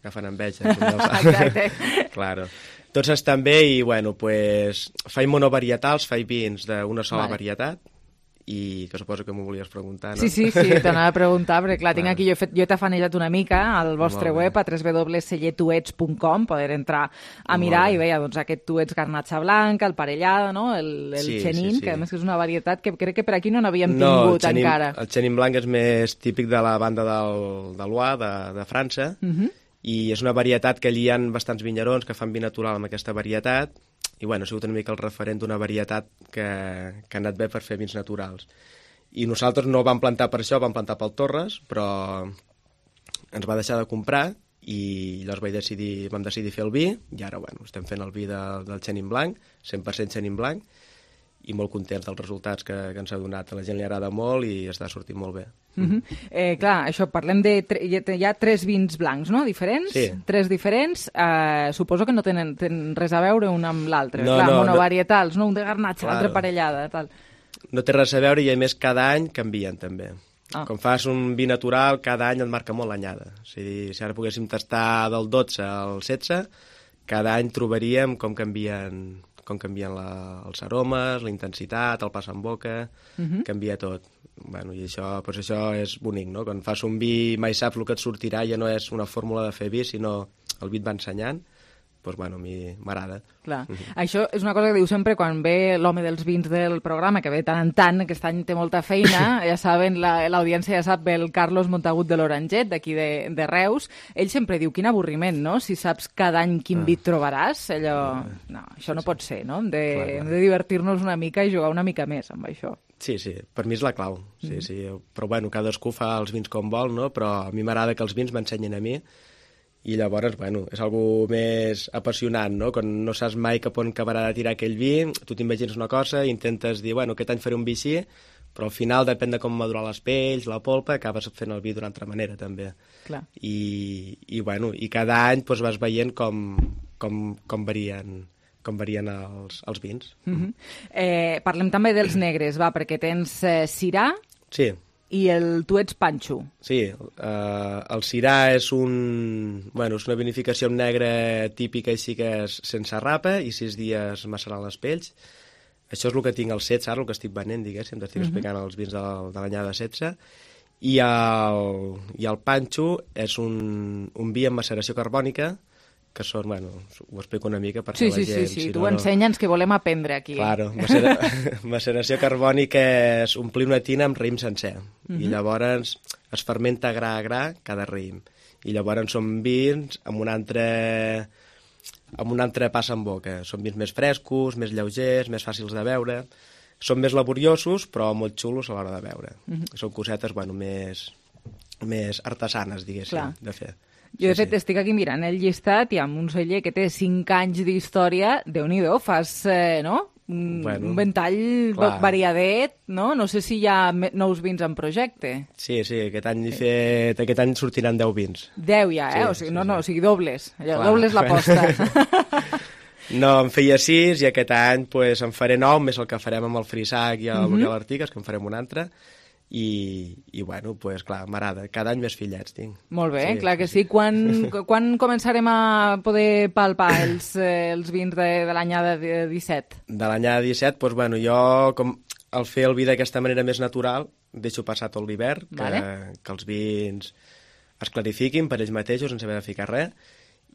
Speaker 37: agafen enveja.
Speaker 3: Exacte.
Speaker 37: Claro. Tots estan bé i, bueno, pues, faig monovarietals, faig vins d'una sola varietat, i que suposo que m'ho volies preguntar, no?
Speaker 3: Sí, t'anava a preguntar, perquè clar, tinc aquí, jo he tafanejat una mica al vostre web, a www.cellertuets.com, poder entrar a mirar i veia, doncs, aquest tuets garnatxa blanca, el parellada, no? El xenin, que a més és una varietat que crec que per aquí no n'havíem tingut encara.
Speaker 37: El xenin blanc és més típic de la banda de l'Oise, de França, i és una varietat que allí hi ha bastants vinyerons que fan vi natural amb aquesta varietat, i bueno, ha sigut una mica el referent d'una varietat que ha anat bé per fer vins naturals. I nosaltres no ho vam plantar per això, vam plantar pel Torres, però ens va deixar de comprar i llavors vam decidir fer el vi, i ara bueno, estem fent el vi del xenin blanc, 100% xenin blanc, i molt contents dels resultats que ens ha donat. A la gent li agrada molt i està sortint molt bé.
Speaker 3: Clar, això, parlem hi ha 3 vins blancs, no?, diferents?
Speaker 37: Sí.
Speaker 3: 3 diferents. Suposo que no tenen res a veure un amb l'altre.
Speaker 37: No,
Speaker 3: clar, monovarietals, no? Un de garnatxa, l'altre parellada, tal.
Speaker 37: No té res a veure i, a més, cada any canvien, també. Com fas un vi natural, cada any et marca molt l'anyada. O sigui, si ara poguéssim tastar del 12 al 16, cada any trobaríem com canvien els aromes, la intensitat, el pas en boca, canvia tot. Bueno, i això és bonic, no? Quan fas un vi mai saps el que et sortirà, ja no és una fórmula de fer vi, sinó el vi et va ensenyant, doncs bueno, a mi m'agrada.
Speaker 3: Clar, això és una cosa que diu sempre quan ve l'home dels vins del programa, que ve tant en tant, aquest any té molta feina, ja saben, l'audiència ja sap, ve el Carlos Montagut de l'Oranget, d'aquí de Reus, ell sempre diu, quin avorriment, no?, si saps cada any quin vi trobaràs, allò... No, això no pot ser, no? Hem de divertir-nos una mica i jugar una mica més amb això.
Speaker 37: Sí, per mi és la clau, sí. Però bueno, cadascú fa els vins com vol, no?, però a mi m'agrada que els vins m'ensenyin a mi, i llavors, bueno, és algo més apassionant, no? Quan no saps mai cap on acabarà de tirar aquell vi, tu t'imagines una cosa i intentes dir, bueno, aquest any faré un vi així, però al final, depèn de com madurar les pells, la polpa, acabes fent el vi d'una altra manera, també.
Speaker 3: Clar.
Speaker 37: I bueno, i cada any doncs, vas veient com varien els vins.
Speaker 3: Parlem també dels negres, perquè tens cirà...
Speaker 37: Sí.
Speaker 3: I el tuets panxo.
Speaker 37: Sí, el cirà és una vinificació amb negre típica, així que és sense rapa i 6 dies macerant les pells. Això és el que tinc al 16, ara el que estic venent, diguéssim, t'estic explicant els vins de l'anyada 16. I el panxo és un vi amb maceració carbònica, que són, bueno, ho explico una mica per que la gent...
Speaker 3: Sí, tu ensenya'ns que volem aprendre aquí.
Speaker 37: Claro, maceració carbònica és omplir una tina amb raïm sencer, i llavors es fermenta gra a gra cada raïm, i llavors són vins amb un altre pas en boca. Són vins més frescos, més lleugers, més fàcils de beure, són més laboriosos, però molt xulos a l'hora de beure. Són cosetes, bueno, més artesanes, diguéssim, de fer.
Speaker 3: Jo, de fet, estic aquí mirant el llistat i amb un celler que té 5 anys d'història, Déu-n'hi-do, fas, no?, un ventall variadet, no? No sé si hi ha nous vins en projecte.
Speaker 37: Sí, aquest any sortiran 10 vins.
Speaker 3: 10 ja, o sigui, dobles. Dobles l'aposta.
Speaker 37: No, en feia 6 i aquest any en faré 9, més el que farem amb el Frisac i el Local Artigas, que en farem un altre. I bueno, clar, m'agrada. Cada any més fillets tinc.
Speaker 3: Molt bé, clar que sí. Quan començarem a poder palpar els vins de l'anyada 17?
Speaker 37: De l'anyada 17, doncs bueno, jo, com al fer el vi d'aquesta manera més natural, deixo passar tot l'hivern, que els vins es clarifiquin per ells mateixos, sense haver de ficar res,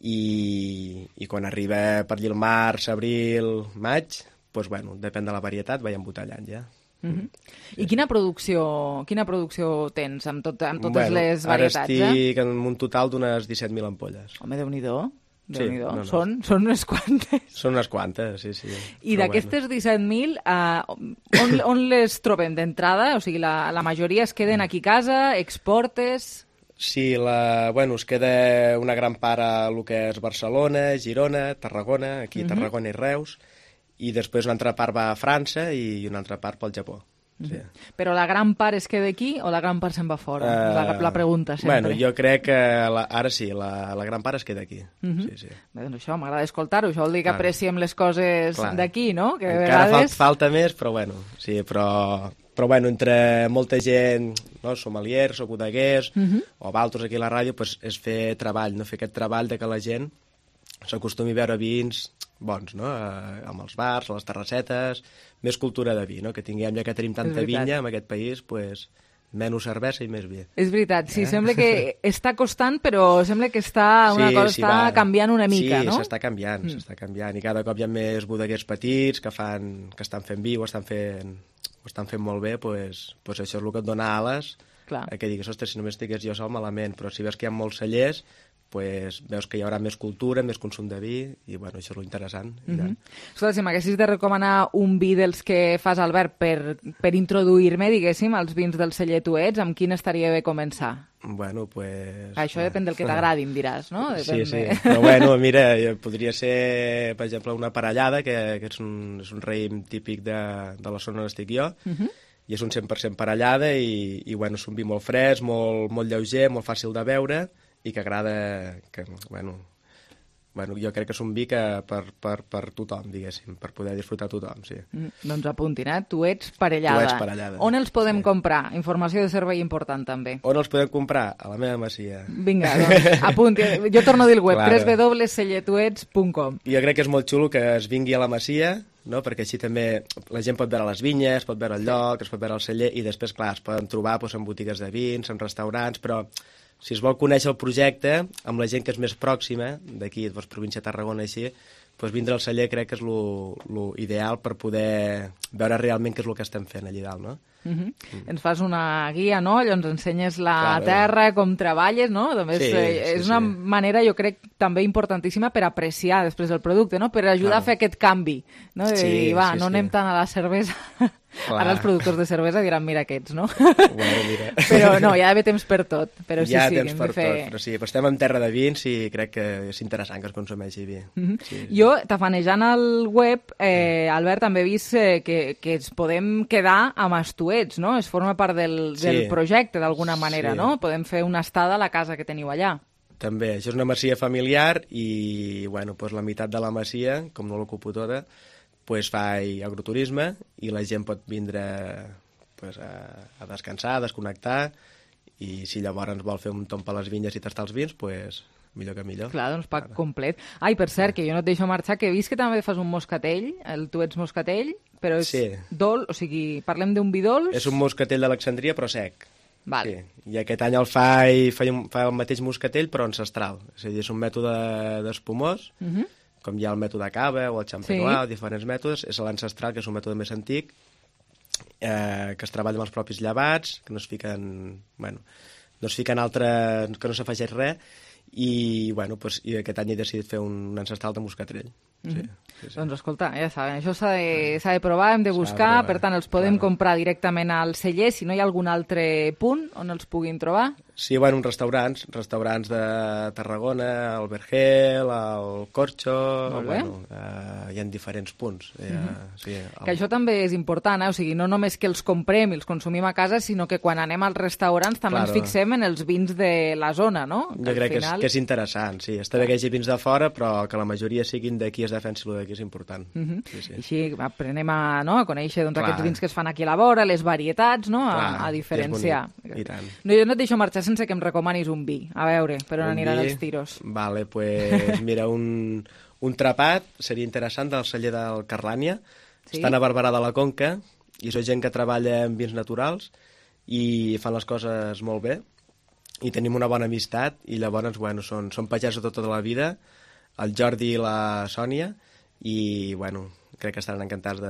Speaker 37: i quan arriba per allà el març, abril, maig, doncs bueno, depèn de la varietat, vaig embotellant ja.
Speaker 3: I quina producció tens amb totes les varietats?
Speaker 37: Ara estic en un total d'unes 17.000 ampolles.
Speaker 3: Home, Déu-n'hi-do. Són unes quantes.
Speaker 37: Són unes quantes, sí.
Speaker 3: I d'aquestes 17.000, on les trobem d'entrada? O sigui, la majoria es queden aquí a casa, exportes...
Speaker 37: Sí, es queda una gran part a el que és Barcelona, Girona, Tarragona, aquí Tarragona i Reus, i després una altra part va a França i una altra part pel Japó. Sí.
Speaker 3: Però la gran part es queda aquí o la gran part se'n va fora? La pregunta sempre.
Speaker 37: Bueno, jo crec que ara sí, la gran part es queda aquí. Sí.
Speaker 3: Bé, doncs això, m'agrada escoltar-ho. Això vol dir que apreciem les coses d'aquí, no? Que
Speaker 37: encara vegades... falta més, però bueno, sí, però bueno, entre molta gent, no, sommeliers o bodeguers o altres aquí a la ràdio, pues, és fer treball, no? Fer aquest treball de que la gent s'acostumi a veure vins bons, no? Amb els bars, a les terrassetes, més cultura de vi, no? Que tinguem, ja que tenim tanta vinya en aquest país, pues, menys cervesa i més vi.
Speaker 3: És veritat, sí, sembla que està costant, però sembla que està canviant una mica, no?
Speaker 37: Sí, s'està canviant, i cada cop hi ha més bodeguers petits que estan fent vi o estan fent molt bé, pues això és el que et dona ales, que digues, ostres, si només estigués jo sol malament, però si veus que hi ha molts cellers, pues veus que hi haurà més cultura, més consum de vi, i bueno, això és lo interessant.
Speaker 3: Escolta, si m'haguessis de recomanar un vi dels que fas, Albert, per introduir-me, diguéssim, als vins del celler Tu Ets, amb quin estaria bé començar?
Speaker 37: Bueno, pues...
Speaker 3: Això depèn del que t'agradi, em diràs, no?
Speaker 37: Sí, però bueno, mira, podria ser, per exemple, una parellada, que és un raïm típic de la zona on estic jo, i és un 100% parellada, i bueno, és un vi molt fresc, molt lleuger, molt fàcil de beure, i que agrada, jo crec que és un vi que per tothom, diguéssim, per poder disfrutar tothom, sí.
Speaker 3: Doncs apuntin, Tu Ets Parellada.
Speaker 37: Tu Ets Parellada.
Speaker 3: On els podem comprar? Informació de servei important, també.
Speaker 37: On els podem comprar? A la meva masia.
Speaker 3: Vinga, doncs, apunti. Jo torno a dir el web, www.cellertuets.com.
Speaker 37: Jo crec que és molt xulo que es vingui a la masia, no? Perquè així també la gent pot veure les vinyes, pot veure el lloc, es pot veure el celler, i després, clar, es poden trobar en botigues de vins, en restaurants, però si es vol conèixer el projecte amb la gent que és més pròxima, d'aquí, província de Tarragona, així, vindre al celler crec que és l'ideal per poder veure realment què és el que estem fent allà dalt, no?
Speaker 3: Ens fas una guia, no? Allò ens ensenyes la terra, com treballes, no? És una manera, jo crec, també importantíssima per apreciar després el producte, no? Per ajudar a fer aquest canvi, no? De dir, no anem tant a la cervesa... Ara els productors de cervesa diran, mira aquests, no?
Speaker 37: Bueno, mira.
Speaker 3: Però no, hi ha d'haver temps per tot. Però
Speaker 37: hi ha temps per tot, però sí, estem en terra de vins i crec que és interessant que es consumeixi vi.
Speaker 3: Jo, tafanejant al web, Albert, també he vist que ens podem quedar amb els Tu Ets, no? Es forma part del projecte, d'alguna manera, no? Podem fer una estada a la casa que teniu allà.
Speaker 37: També, això és una masia familiar i, bueno, la meitat de la masia, com no l'ocupo tota, fa agroturisme i la gent pot vindre a descansar, a desconnectar, i si llavors vol fer un tomb a les vinyes i tastar els vins, millor que millor.
Speaker 3: Clar, doncs pack complet. Ai, per cert, que jo no et deixo marxar, que he vist que també fas un moscatell, el Tu Ets Moscatell, però és dolç, o sigui, parlem d'un vi dolç...
Speaker 37: És un moscatell d'Alexandria, però sec.
Speaker 3: Val.
Speaker 37: Sí. I aquest any el fa el mateix moscatell, però ancestral. És a dir, és un mètode d'espumós, com hi ha el mètode cava o el champenois, diferents mètodes, és l'ancestral, que és un mètode més antic, que es treballa amb els propis llevats, que no es fiquen altres, que no s'afegeix res, i aquest any he decidit fer un ancestral de moscatrell. Sí.
Speaker 3: Doncs escolta, ja saben, això s'ha de provar, hem de buscar, per tant els podem comprar directament al celler, si no hi ha algun altre punt on els puguin trobar.
Speaker 37: Sí, uns restaurants de Tarragona, el Vergel, el Corcho, hi ha diferents punts.
Speaker 3: Que això també és important, o sigui, no només que els comprem i els consumim a casa, sinó que quan anem als restaurants també ens fixem en els vins de la zona, no?
Speaker 37: Jo crec que és interessant, sí. Està bé que hi hagi vins de fora, però que la majoria siguin d'aquí, es defensi el d'aquí, és important.
Speaker 3: Així aprenem a conèixer aquests vins que es fan aquí a la vora, les varietats, a diferenciar. Jo no et deixo marxar sense que em recomanis un vi. A veure, per on aniran els tiros.
Speaker 37: Vale, mira, un trapat seria interessant del celler del Carlània. Estan a Barberà de la Conca i són gent que treballa en vins naturals i fan les coses molt bé i tenim una bona amistat i llavors, són pagesos tota la vida, el Jordi i la Sònia, i, crec que estaran encantats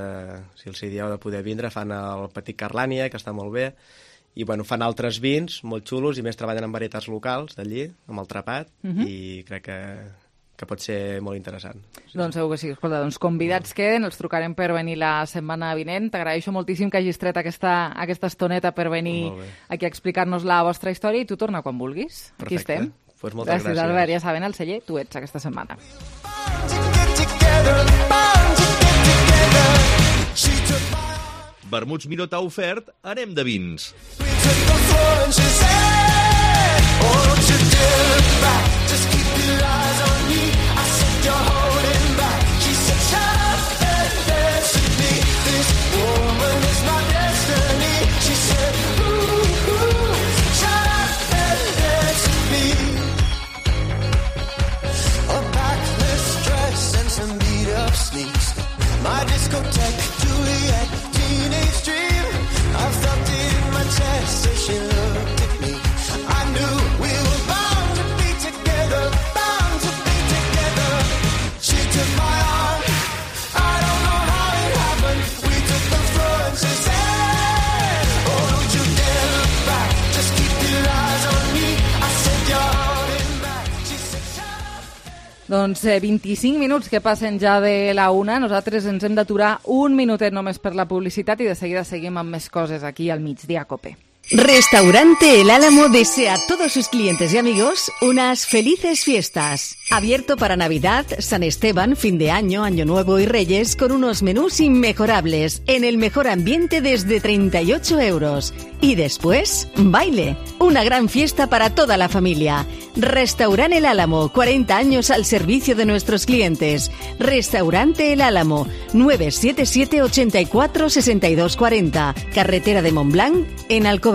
Speaker 37: si els dieu de poder vindre. Fan el Petit Carlània, que està molt bé, i fan altres vins molt xulos i més treballen en varietats locals d'allí, amb el trapat, i crec que pot ser molt interessant.
Speaker 3: Doncs segur que sí. Escolta, convidats queden, els trucarem per venir la setmana vinent. T'agraeixo moltíssim que hagis tret aquesta estoneta per venir aquí a explicar-nos la vostra història i tu torna quan vulguis.
Speaker 37: Perfecte.
Speaker 3: Aquí estem.
Speaker 37: Pues moltes gràcies.
Speaker 3: Albert, ja saben, el celler Tu Ets aquesta setmana.
Speaker 36: vermuts Minotaur ofert, anem de vins.
Speaker 2: My discotheque, Juliet, teenage dream. I felt it in my chest as she looked at me. I knew we were bound to be together, bound to be together. She took my arm, I don't know how it happened. We took the floor and she said, oh, don't you dare look back, just keep your eyes on me. I said, you're holding back. She said,
Speaker 3: Doncs 25 minuts que passen ja de la una. Nosaltres ens hem d'aturar un minutet només per la publicitat i de seguida seguim amb més coses aquí al Migdia Cope.
Speaker 18: Restaurante El Álamo desea a todos sus clientes y amigos unas felices fiestas. Abierto para Navidad, San Esteban, fin de año, Año Nuevo y Reyes con unos menús inmejorables en el mejor ambiente desde 38 euros. Y después, baile. Una gran fiesta para toda la familia. Restaurante El Álamo, 40 años al servicio de nuestros clientes. Restaurante El Álamo, 977 84 62 40. Carretera de Montblanc, en Alcover.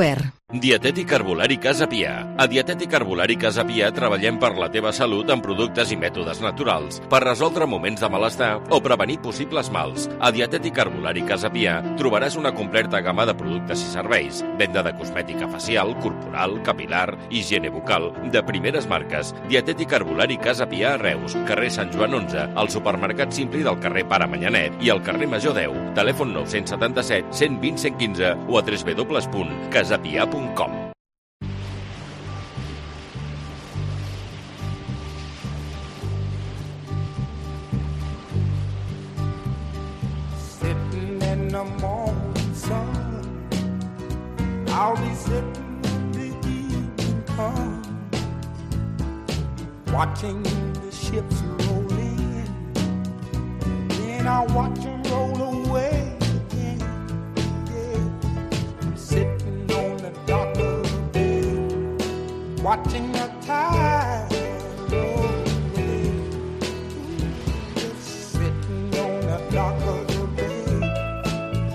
Speaker 4: Dietètic Herbolari Casa Pià. A Dietètic Herbolari Casa Pià treballem per la teva salut amb productes i mètodes naturals per resoldre moments de malestar o prevenir possibles mals. A Dietètic Herbolari Casa Pià trobaràs una completa gamma de productes i serveis. Venda de cosmètica facial, corporal, capilar, higiene bucal, de primeres marques. Dietètic Herbolari Casa Pià a Reus, carrer Sant Joan 11, al supermercat Simpli del carrer Pare Manyanet i al carrer Major 10. Telèfon 977 120 115 o a www.casapia.com.
Speaker 2: Sitting in the morning sun, I'll be sitting when the evening comes, watching the ships roll in, then I'll watch them roll away again. Yeah. I'm sitting on the dock of the bay, watching the tide roll away. Just sitting on the dock of the bay,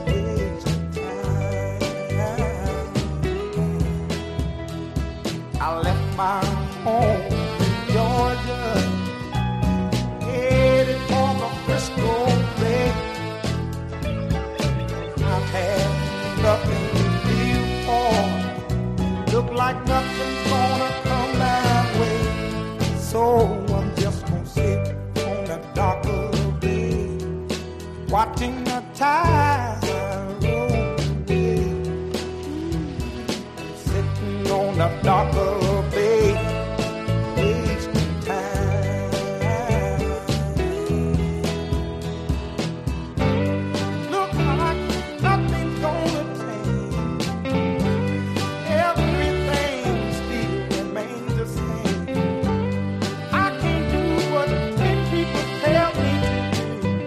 Speaker 2: wasting time. I left my home in Georgia, headed for the Frisco Bay. I've had nothing to live for, look like nothing's gonna come my way. So I'm just gonna sit on the dock of the bay, watching the tide roll away. Sitting on the dock of the bay, wasting time. Look like nothing's gonna change, everything still remains the same. I can't do what 10 people tell me to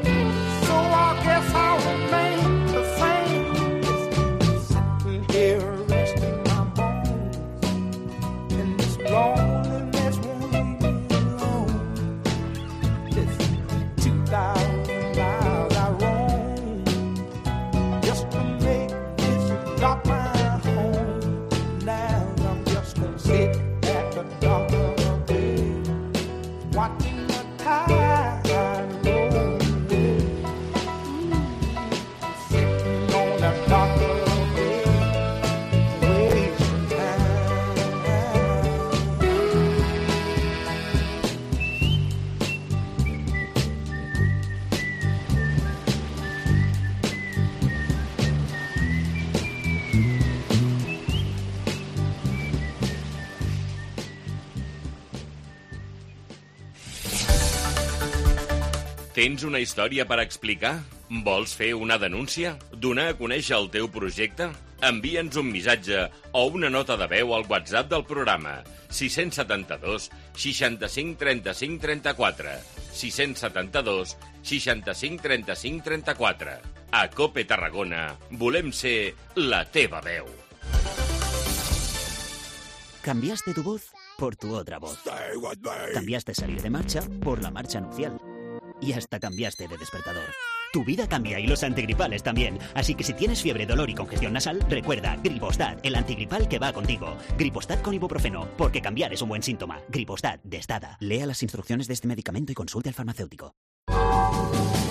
Speaker 2: do, so I guess I'll remain the same. Sitting here resting my bones in this loneliness won't leave me alone. This 2,000 miles I roam just to make this dock my home. Now I'm just gonna sit at the dock of the bay, watching the tide roll away. Sitting on the dock of the bay, wasting time.
Speaker 4: Tens una història per explicar? Vols fer una denúncia? Donar a conèixer el teu projecte? Envia'ns un missatge o una nota de veu al WhatsApp del programa 672 65 35 34 672 65 35 34. A COPE Tarragona volem ser la teva veu.
Speaker 5: Cambiaste tu voz por tu otra voz. Cambiaste salir de marcha por la marcha nupcial. Y hasta cambiaste de despertador. Tu vida cambia y los antigripales también. Así que si tienes fiebre, dolor y congestión nasal, recuerda Gripostat, el antigripal que va contigo. Gripostat con ibuprofeno, porque cambiar es un buen síntoma. Gripostat de Stada. Lea las instrucciones de este medicamento y consulte al farmacéutico.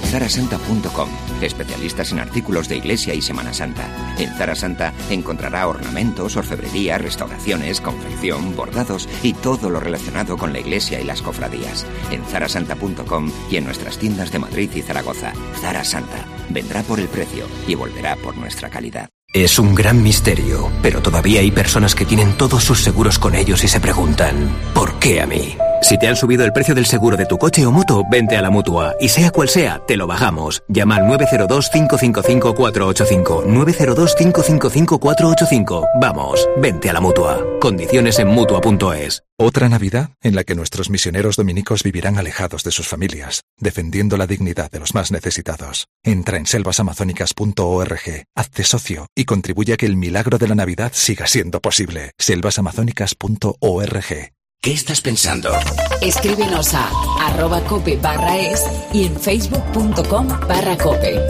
Speaker 6: Zarasanta.com, especialistas en artículos de iglesia y Semana Santa. En Zara Santa encontrará ornamentos, orfebrería, restauraciones, confección, bordados y todo lo relacionado con la iglesia y las cofradías. En Zarasanta.com y en nuestras tiendas de Madrid y Zaragoza. Zara Santa vendrá por el precio y volverá por nuestra calidad.
Speaker 7: Es un gran misterio, pero todavía hay personas que tienen todos sus seguros con ellos y se preguntan, ¿por qué a mí? Si te han subido el precio del seguro de tu coche o moto, vente a la Mutua. Y sea cual sea, te lo bajamos. Llama al 902-555-485. 902-555-485. Vamos, vente a la Mutua. Condiciones en Mutua.es.
Speaker 8: Otra Navidad en la que nuestros misioneros dominicos vivirán alejados de sus familias, defendiendo la dignidad de los más necesitados. Entra en selvasamazónicas.org, hazte socio y contribuye a que el milagro de la Navidad siga siendo posible. selvasamazónicas.org.
Speaker 6: ¿Qué estás pensando?
Speaker 9: Escríbenos a @cope/es y en facebook.com/cope.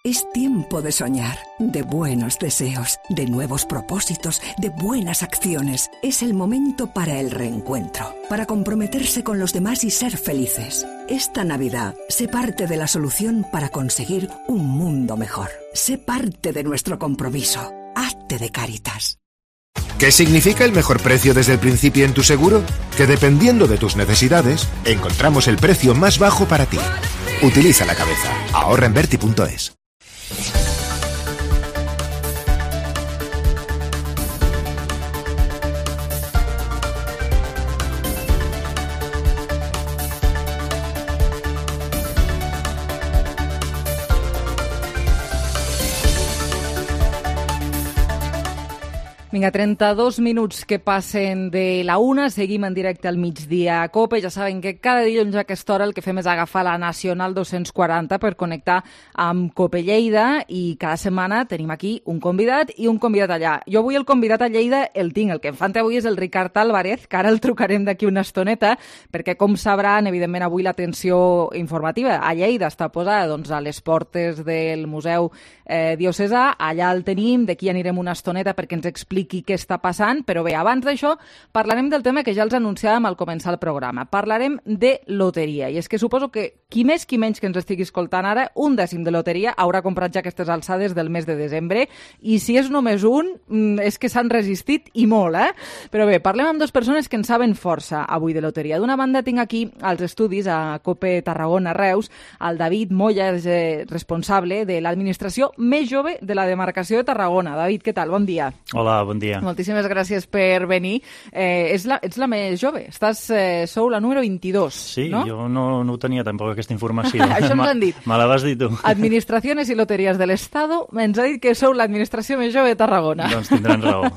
Speaker 10: Es tiempo de soñar, de buenos deseos, de nuevos propósitos, de buenas acciones. Es el momento para el reencuentro, para comprometerse con los demás y ser felices. Esta Navidad, sé parte de la solución para conseguir un mundo mejor. Sé parte de nuestro compromiso. Hazte de Cáritas.
Speaker 12: ¿Qué significa el mejor precio desde el principio en tu seguro? Que dependiendo de tus necesidades, encontramos el precio más bajo para ti. Utiliza la cabeza. Ahorra en Berti.es.
Speaker 3: Vinga, 32 minuts que passen de la 1, seguim en directe al migdia a COPE. Ja saben que cada dilluns a aquesta hora el que fem és agafar la Nacional 240 per connectar amb COPE Lleida i cada setmana tenim aquí un convidat i un convidat allà. Jo avui el convidat a Lleida el tinc, el que em fan avui és el Ricard Álvarez, que ara el trucarem d'aquí una estoneta, perquè com sabran, evidentment avui l'atenció informativa a Lleida està posada doncs, a les portes del Museu Diocesà, allà el tenim, d'aquí anirem una estoneta perquè ens expliqui què està passant, però bé, abans d'això parlarem del tema que ja els anunciàvem al començar el programa. Parlarem de loteria, i és que suposo que qui més qui menys que ens estigui escoltant ara, 1/10 de loteria haurà comprat ja aquestes alçades del mes de desembre, i si és només un, és que s'han resistit i molt, Però bé, parlem amb dues persones que en saben força avui de loteria. D'una banda tinc aquí als estudis a COPE Tarragona Reus, el David Moya, és responsable de l'administració més jove de la demarcació de Tarragona. David, què tal? Bon dia.
Speaker 14: Hola, bon dia.
Speaker 3: Moltíssimes gràcies per venir. Ets la més jove. Sou la número 22,
Speaker 14: sí,
Speaker 3: no?
Speaker 14: Sí, jo no ho tenia tampoc aquesta informació.
Speaker 3: Això ens han dit.
Speaker 14: Me la vas dir tu.
Speaker 3: Administraciones y Loterías del Estado ens ha dit que sou l'administració més jove de Tarragona.
Speaker 14: Doncs tindran raó.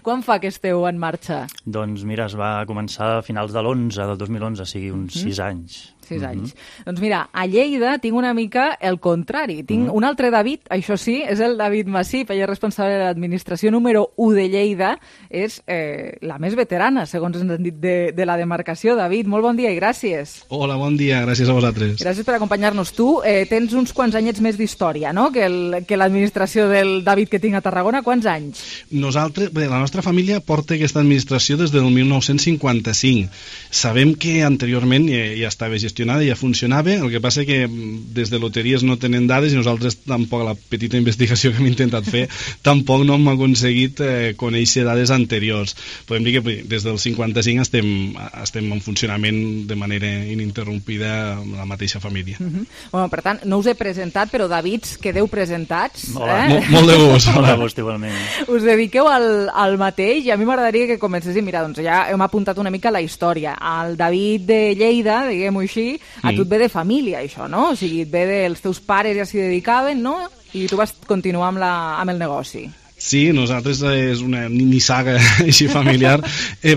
Speaker 3: Quan fa que esteu en marxa?
Speaker 14: Doncs mira, es va començar a finals de l'11, del 2011, o sigui, uns 6 anys.
Speaker 3: 6 anys. Doncs mira, a Lleida tinc una mica el contrari. Tinc un altre David, això sí, és el David Massip, ell és responsable de l'administració número 1 de Lleida, és la més veterana, segons ens han dit, de la demarcació. David, molt bon dia i gràcies.
Speaker 15: Hola, bon dia, gràcies a vosaltres.
Speaker 3: Gràcies per acompanyar-nos. Tu tens uns quants anyets més d'història, no?, que l'administració del David que tinc a Tarragona. Quants anys?
Speaker 15: Nosaltres, bé, la nostra família porta aquesta administració des del 1955. Sabem que anteriorment ja estava gestionada, ja funcionava, el que passa que des de loteries no tenen dades i nosaltres tampoc, la petita investigació que hem intentat fer, tampoc no hem aconseguit conèixer dades anteriors. Podem dir que des del 55 estem en funcionament de manera ininterrompida amb la mateixa família.
Speaker 3: Bueno, per tant, no us he presentat, però Davids, quedeu presentats.
Speaker 15: Hola. Molt de gust.
Speaker 14: Hola, de gust, igualment.
Speaker 3: Us dediqueu al mateix i a mi m'agradaria que comencéssim. Mira, doncs ja hem apuntat una mica la història. El David de Lleida, diguem-ho així, a tu et ve de família, això, no? O sigui, et ve dels teus pares, ja s'hi dedicaven, no? I tu vas continuar amb el negoci.
Speaker 15: Sí, nosaltres és una mini saga així familiar.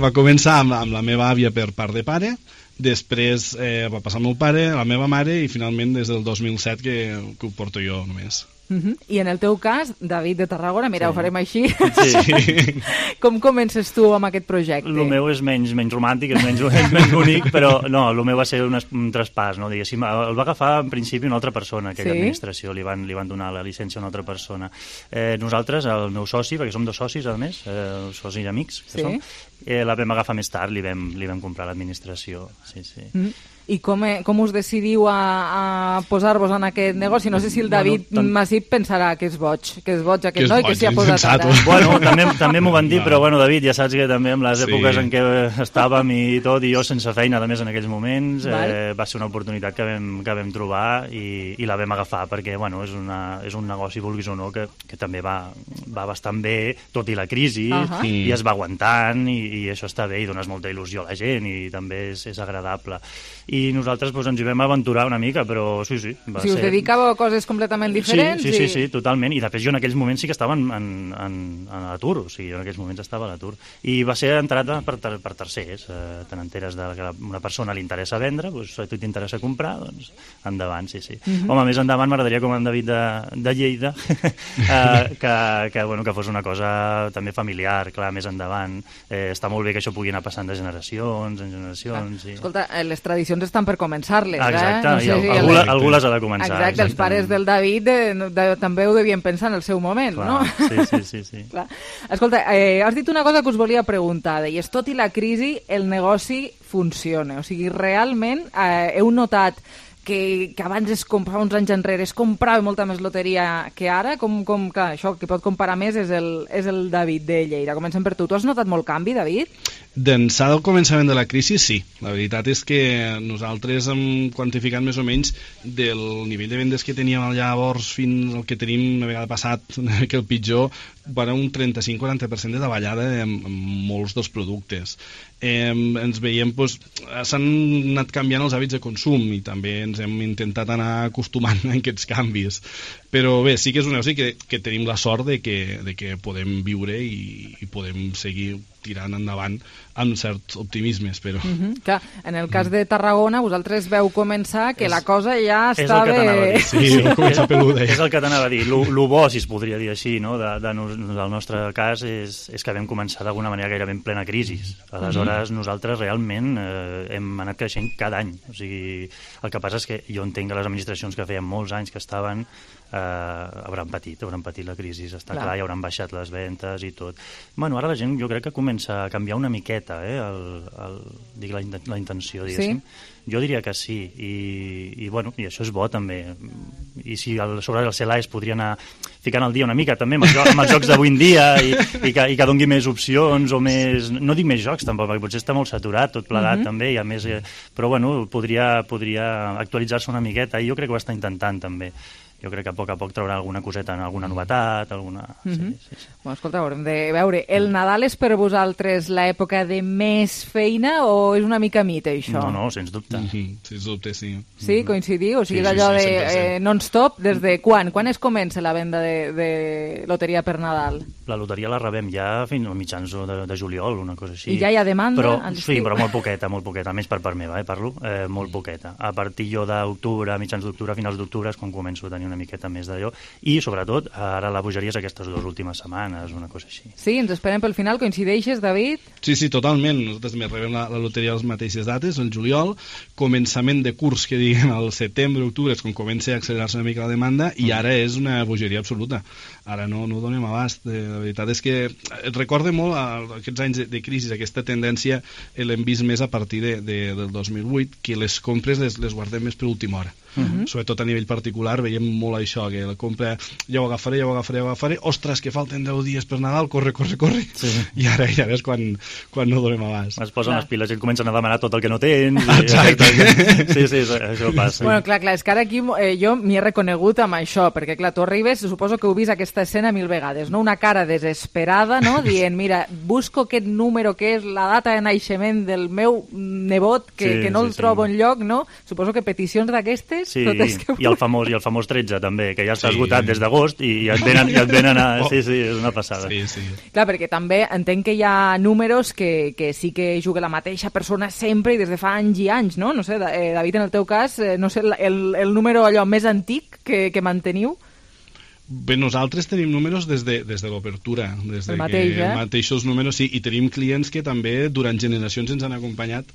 Speaker 15: Va començar amb la meva àvia per part de pare, després va passar el meu pare, la meva mare, i finalment des del 2007 que ho porto jo només.
Speaker 3: I en el teu cas, David de Tarragona, mira, ho farem així.
Speaker 14: Sí.
Speaker 3: Com comences tu amb aquest projecte?
Speaker 14: El meu és menys romàntic, és menys bonic, però no, el meu va ser un traspàs, no? Diguéssim, el va agafar en principi una altra persona, aquella administració, li van donar la llicència a una altra persona. Nosaltres, el meu soci, perquè som 2 socis, a més, socis i amics que som, la vam agafar més tard, li vam comprar l'administració, sí.
Speaker 3: I com us decidiu a posar-vos en aquest negoci? No sé si el David Masip pensarà que és boig aquest noi que s'hi ha posat ara.
Speaker 14: Bueno, també m'ho van dir, però bueno, David, ja saps que també en les èpoques en què estàvem i tot, i jo sense feina, a més, en aquells moments, va ser una oportunitat que vam trobar i la vam agafar, perquè bueno, és un negoci, vulguis o no, que també va bastant bé, tot i la crisi, i es va aguantant, i això està bé, i dones molta il·lusió a la gent, i també és agradable. I nosaltres ens hi vam aventurar una mica, però sí.
Speaker 3: Si us dedicàveu a coses completament diferents?
Speaker 14: Sí, totalment. I després jo en aquells moments sí que estava en l'atur, o sigui, jo en aquells moments estava a l'atur. I va ser entrada per tercers. Te n'enteres que a una persona li interessa vendre, doncs a tu t'interessa comprar, doncs endavant, sí. Home, més endavant m'agradaria, com en David de Lleida, que fos una cosa també familiar, clar, més endavant. Està molt bé que això pugui anar passant de generacions en generacions.
Speaker 3: Escolta, les tradicions estan per començar-les,
Speaker 14: exacte,
Speaker 3: no sé
Speaker 14: algú les ha de començar.
Speaker 3: Exacte, els pares del David també ho devien pensar en el seu moment,
Speaker 14: clar,
Speaker 3: no?
Speaker 14: Sí.
Speaker 3: Clar. Escolta, has dit una cosa que us volia preguntar, deies, tot i la crisi, el negoci funciona. O sigui, realment heu notat que abans fa uns anys enrere es comprava molta més loteria que ara, clar, això que pot comparar més és el David de Lleida. Comencem per tu. Tu has notat molt canvi, David?
Speaker 15: D'ençà del començament de la crisi, sí. La veritat és que nosaltres hem quantificat més o menys del nivell de vendes que teníem llavors fins al que tenim una vegada passat, que el pitjor, van un 35-40% de davallada en molts dels productes. Ens veiem, s'han anat canviant els hàbits de consum i també ens hem intentat anar acostumant a aquests canvis. Però bé, sí que és un negoci que tenim la sort de que podem viure i podem seguir tirant endavant amb cert optimisme, espero.
Speaker 3: Clar, en el cas de Tarragona, vosaltres veu començar que la cosa ja està bé...
Speaker 15: Sí, comença peluda.
Speaker 14: És el que t'anava a dir. Lo bo, si es podria dir així, no? Del nostre cas és que vam començar d'alguna manera gairebé en plena crisi. Aleshores, nosaltres realment hem anat creixent cada any. O sigui, el que passa és que jo entenc que les administracions que feien molts anys que estaven hauran patit la crisi, està clar, i hauran baixat les ventes i tot. Bueno, ara la gent jo crec que comença a canviar una miqueta la intenció, diguéssim. Jo diria que sí, i això és bo també. I si sobre el CELA es podria anar ficant al dia una mica també amb els jocs d'avui en dia i que dongui més opcions o més... No dic més jocs tampoc, perquè potser està molt saturat tot plegat també, i a més... Però bueno, podria actualitzar-se una miqueta, i jo crec que ho està intentant també. Jo crec que a poc traurà alguna coseta, alguna novetat, alguna... Sí.
Speaker 3: Bueno, escolta, haurem de veure. El Nadal és per vosaltres l'època de més feina o és una mica mite, això?
Speaker 14: No, sens dubte.
Speaker 15: Sens dubte, sí.
Speaker 3: Sí, coincidiu? O sigui, és allò de non-stop, des de quan? Quan es comença la venda de loteria per Nadal?
Speaker 14: La loteria la rebem ja fins als mitjans de juliol, una cosa així.
Speaker 3: I ja hi ha demanda?
Speaker 14: Sí, però molt poqueta, més per part meva, parlo, molt poqueta. A partir d'octubre, mitjans d'octubre, finals d'octubre, és quan començo a tenir una miqueta més d'allò, i sobretot ara la bogeria és aquestes 2 últimes setmanes, una cosa així.
Speaker 3: Sí, ens esperem pel final. Coincideixes, David?
Speaker 15: Sí, totalment. Nosaltres també rebem la loteria a les mateixes dates, el juliol, començament de curs, que diguem, al setembre, octubre, és quan comença a accelerar-se una mica la demanda, i ara és una bogeria absoluta. Ara no donem abast. La veritat és que et recorda molt aquests anys de crisi, aquesta tendència l'hem vist més a partir del 2008, que les compres les guardem més per última hora. Sobretot a nivell particular veiem molt això, que la compra ja ho agafaré, ostres, que falten 10 dies per Nadal, corre, sí. I ara és quan no donem abast.
Speaker 14: Es posen les piles i comencen a demanar tot el que no tens.
Speaker 15: Exacte.
Speaker 14: Sí, això passa.
Speaker 3: Bueno, clar, és que ara aquí jo m'hi he reconegut amb això, perquè clar, tu arribes, suposo que heu vist aquesta escena 1000 vegades, no? Una cara desesperada, no? Dient, mira, busco aquest número que és la data de naixement del meu nebot, que no el trobo enlloc, no? Suposo que peticions d'aquestes Londres.
Speaker 14: Sí, i el famós 13 també, que ja està esgotat des d'agost i et venen a... Sí, és una passada.
Speaker 15: Sí.
Speaker 3: Clar, perquè també entenc que hi ha números que sí que juga la mateixa persona sempre i des de fa anys i anys, no? No sé, David, en el teu cas, no sé, el número allò més antic que manteniu?
Speaker 15: Bé, nosaltres tenim números des de l'obertura, des de mateixos números, sí, i tenim clients que també durant generacions ens han acompanyat,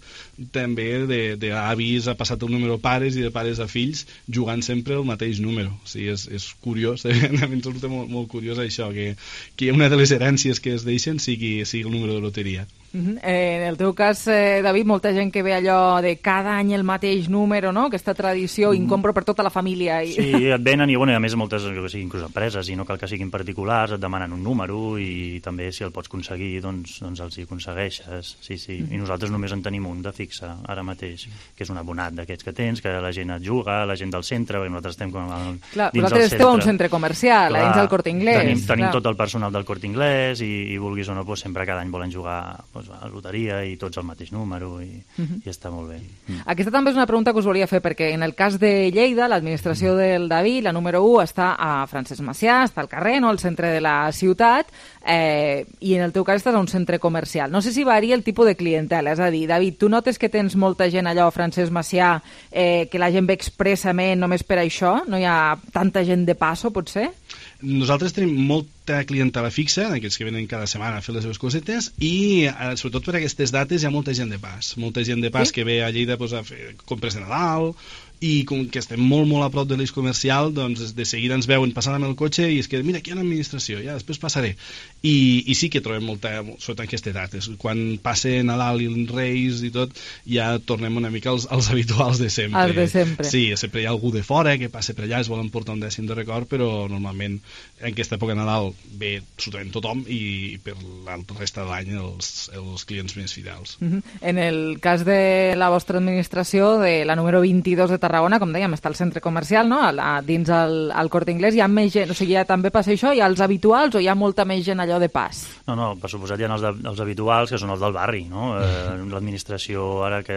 Speaker 15: també d'avis ha passat el número pares i de pares a fills, jugant sempre el mateix número. O sigui, és curiós, a mi ens resulta molt curiós això, que una de les herències que es deixen sigui el número de loteria.
Speaker 3: En el teu cas, David, molta gent que ve allò de cada any el mateix número, no? Aquesta tradició incompro per tota la família.
Speaker 14: Sí, et venen i a més moltes, inclús empreses, i no cal que siguin particulars, et demanen un número i també si el pots aconseguir, doncs els hi aconsegueixes. Sí. I nosaltres només en tenim un de fixe ara mateix, que és un abonat d'aquests que tens, que la gent et juga, la gent del centre, perquè nosaltres estem dins del centre.
Speaker 3: Vosaltres esteu a un centre comercial, dins del Corte Inglés.
Speaker 14: Tenim tot el personal del Corte Inglés i vulguis o no, sempre cada any volen jugar a la loteria i tots el mateix número i està molt bé.
Speaker 3: Aquesta també és una pregunta que us volia fer, perquè en el cas de Lleida, l'administració del David, la número 1, està a Francesc Macià, està al carrer, no?, al centre de la ciutat, i en el teu cas estàs a un centre comercial. No sé si varia el tipus de clientela, és a dir, David, tu notes que tens molta gent allò a Francesc Macià, que la gent ve expressament només per això? No hi ha tanta gent de passo, potser?
Speaker 15: Nosaltres tenim molta clientela fixa, aquells que venen cada setmana a fer les seves cosetes, i sobretot per aquestes dates hi ha molta gent de pas. Molta gent de pas que ve a Lleida a fer compres de Nadal, i com que estem molt a prop de l'eix comercial, doncs de seguida ens veuen passant amb el cotxe i es queden, mira, aquí hi ha una administració, ja després passaré. I sí que trobem molta, sobretot en aquestes dates. Quan passa Nadal i els Reis i tot, ja tornem una mica als habituals de sempre.
Speaker 3: Els de sempre.
Speaker 15: Sí, sempre hi ha algú de fora que passa per allà, es volen portar un dècim de record, però normalment en aquesta època de Nadal ve absolutament tothom i per la resta de l'any els clients més fidels.
Speaker 3: En el cas de la vostra administració, de la número 22 de Tarragona, com dèiem, està al centre comercial, no?, dins el Corte Inglés, hi ha més gent, o sigui, ja també passa això, hi ha els habituals o hi ha molta més gent allò de pas?
Speaker 14: No, per suposat hi ha els habituals, que són els del barri, no? L'administració, ara que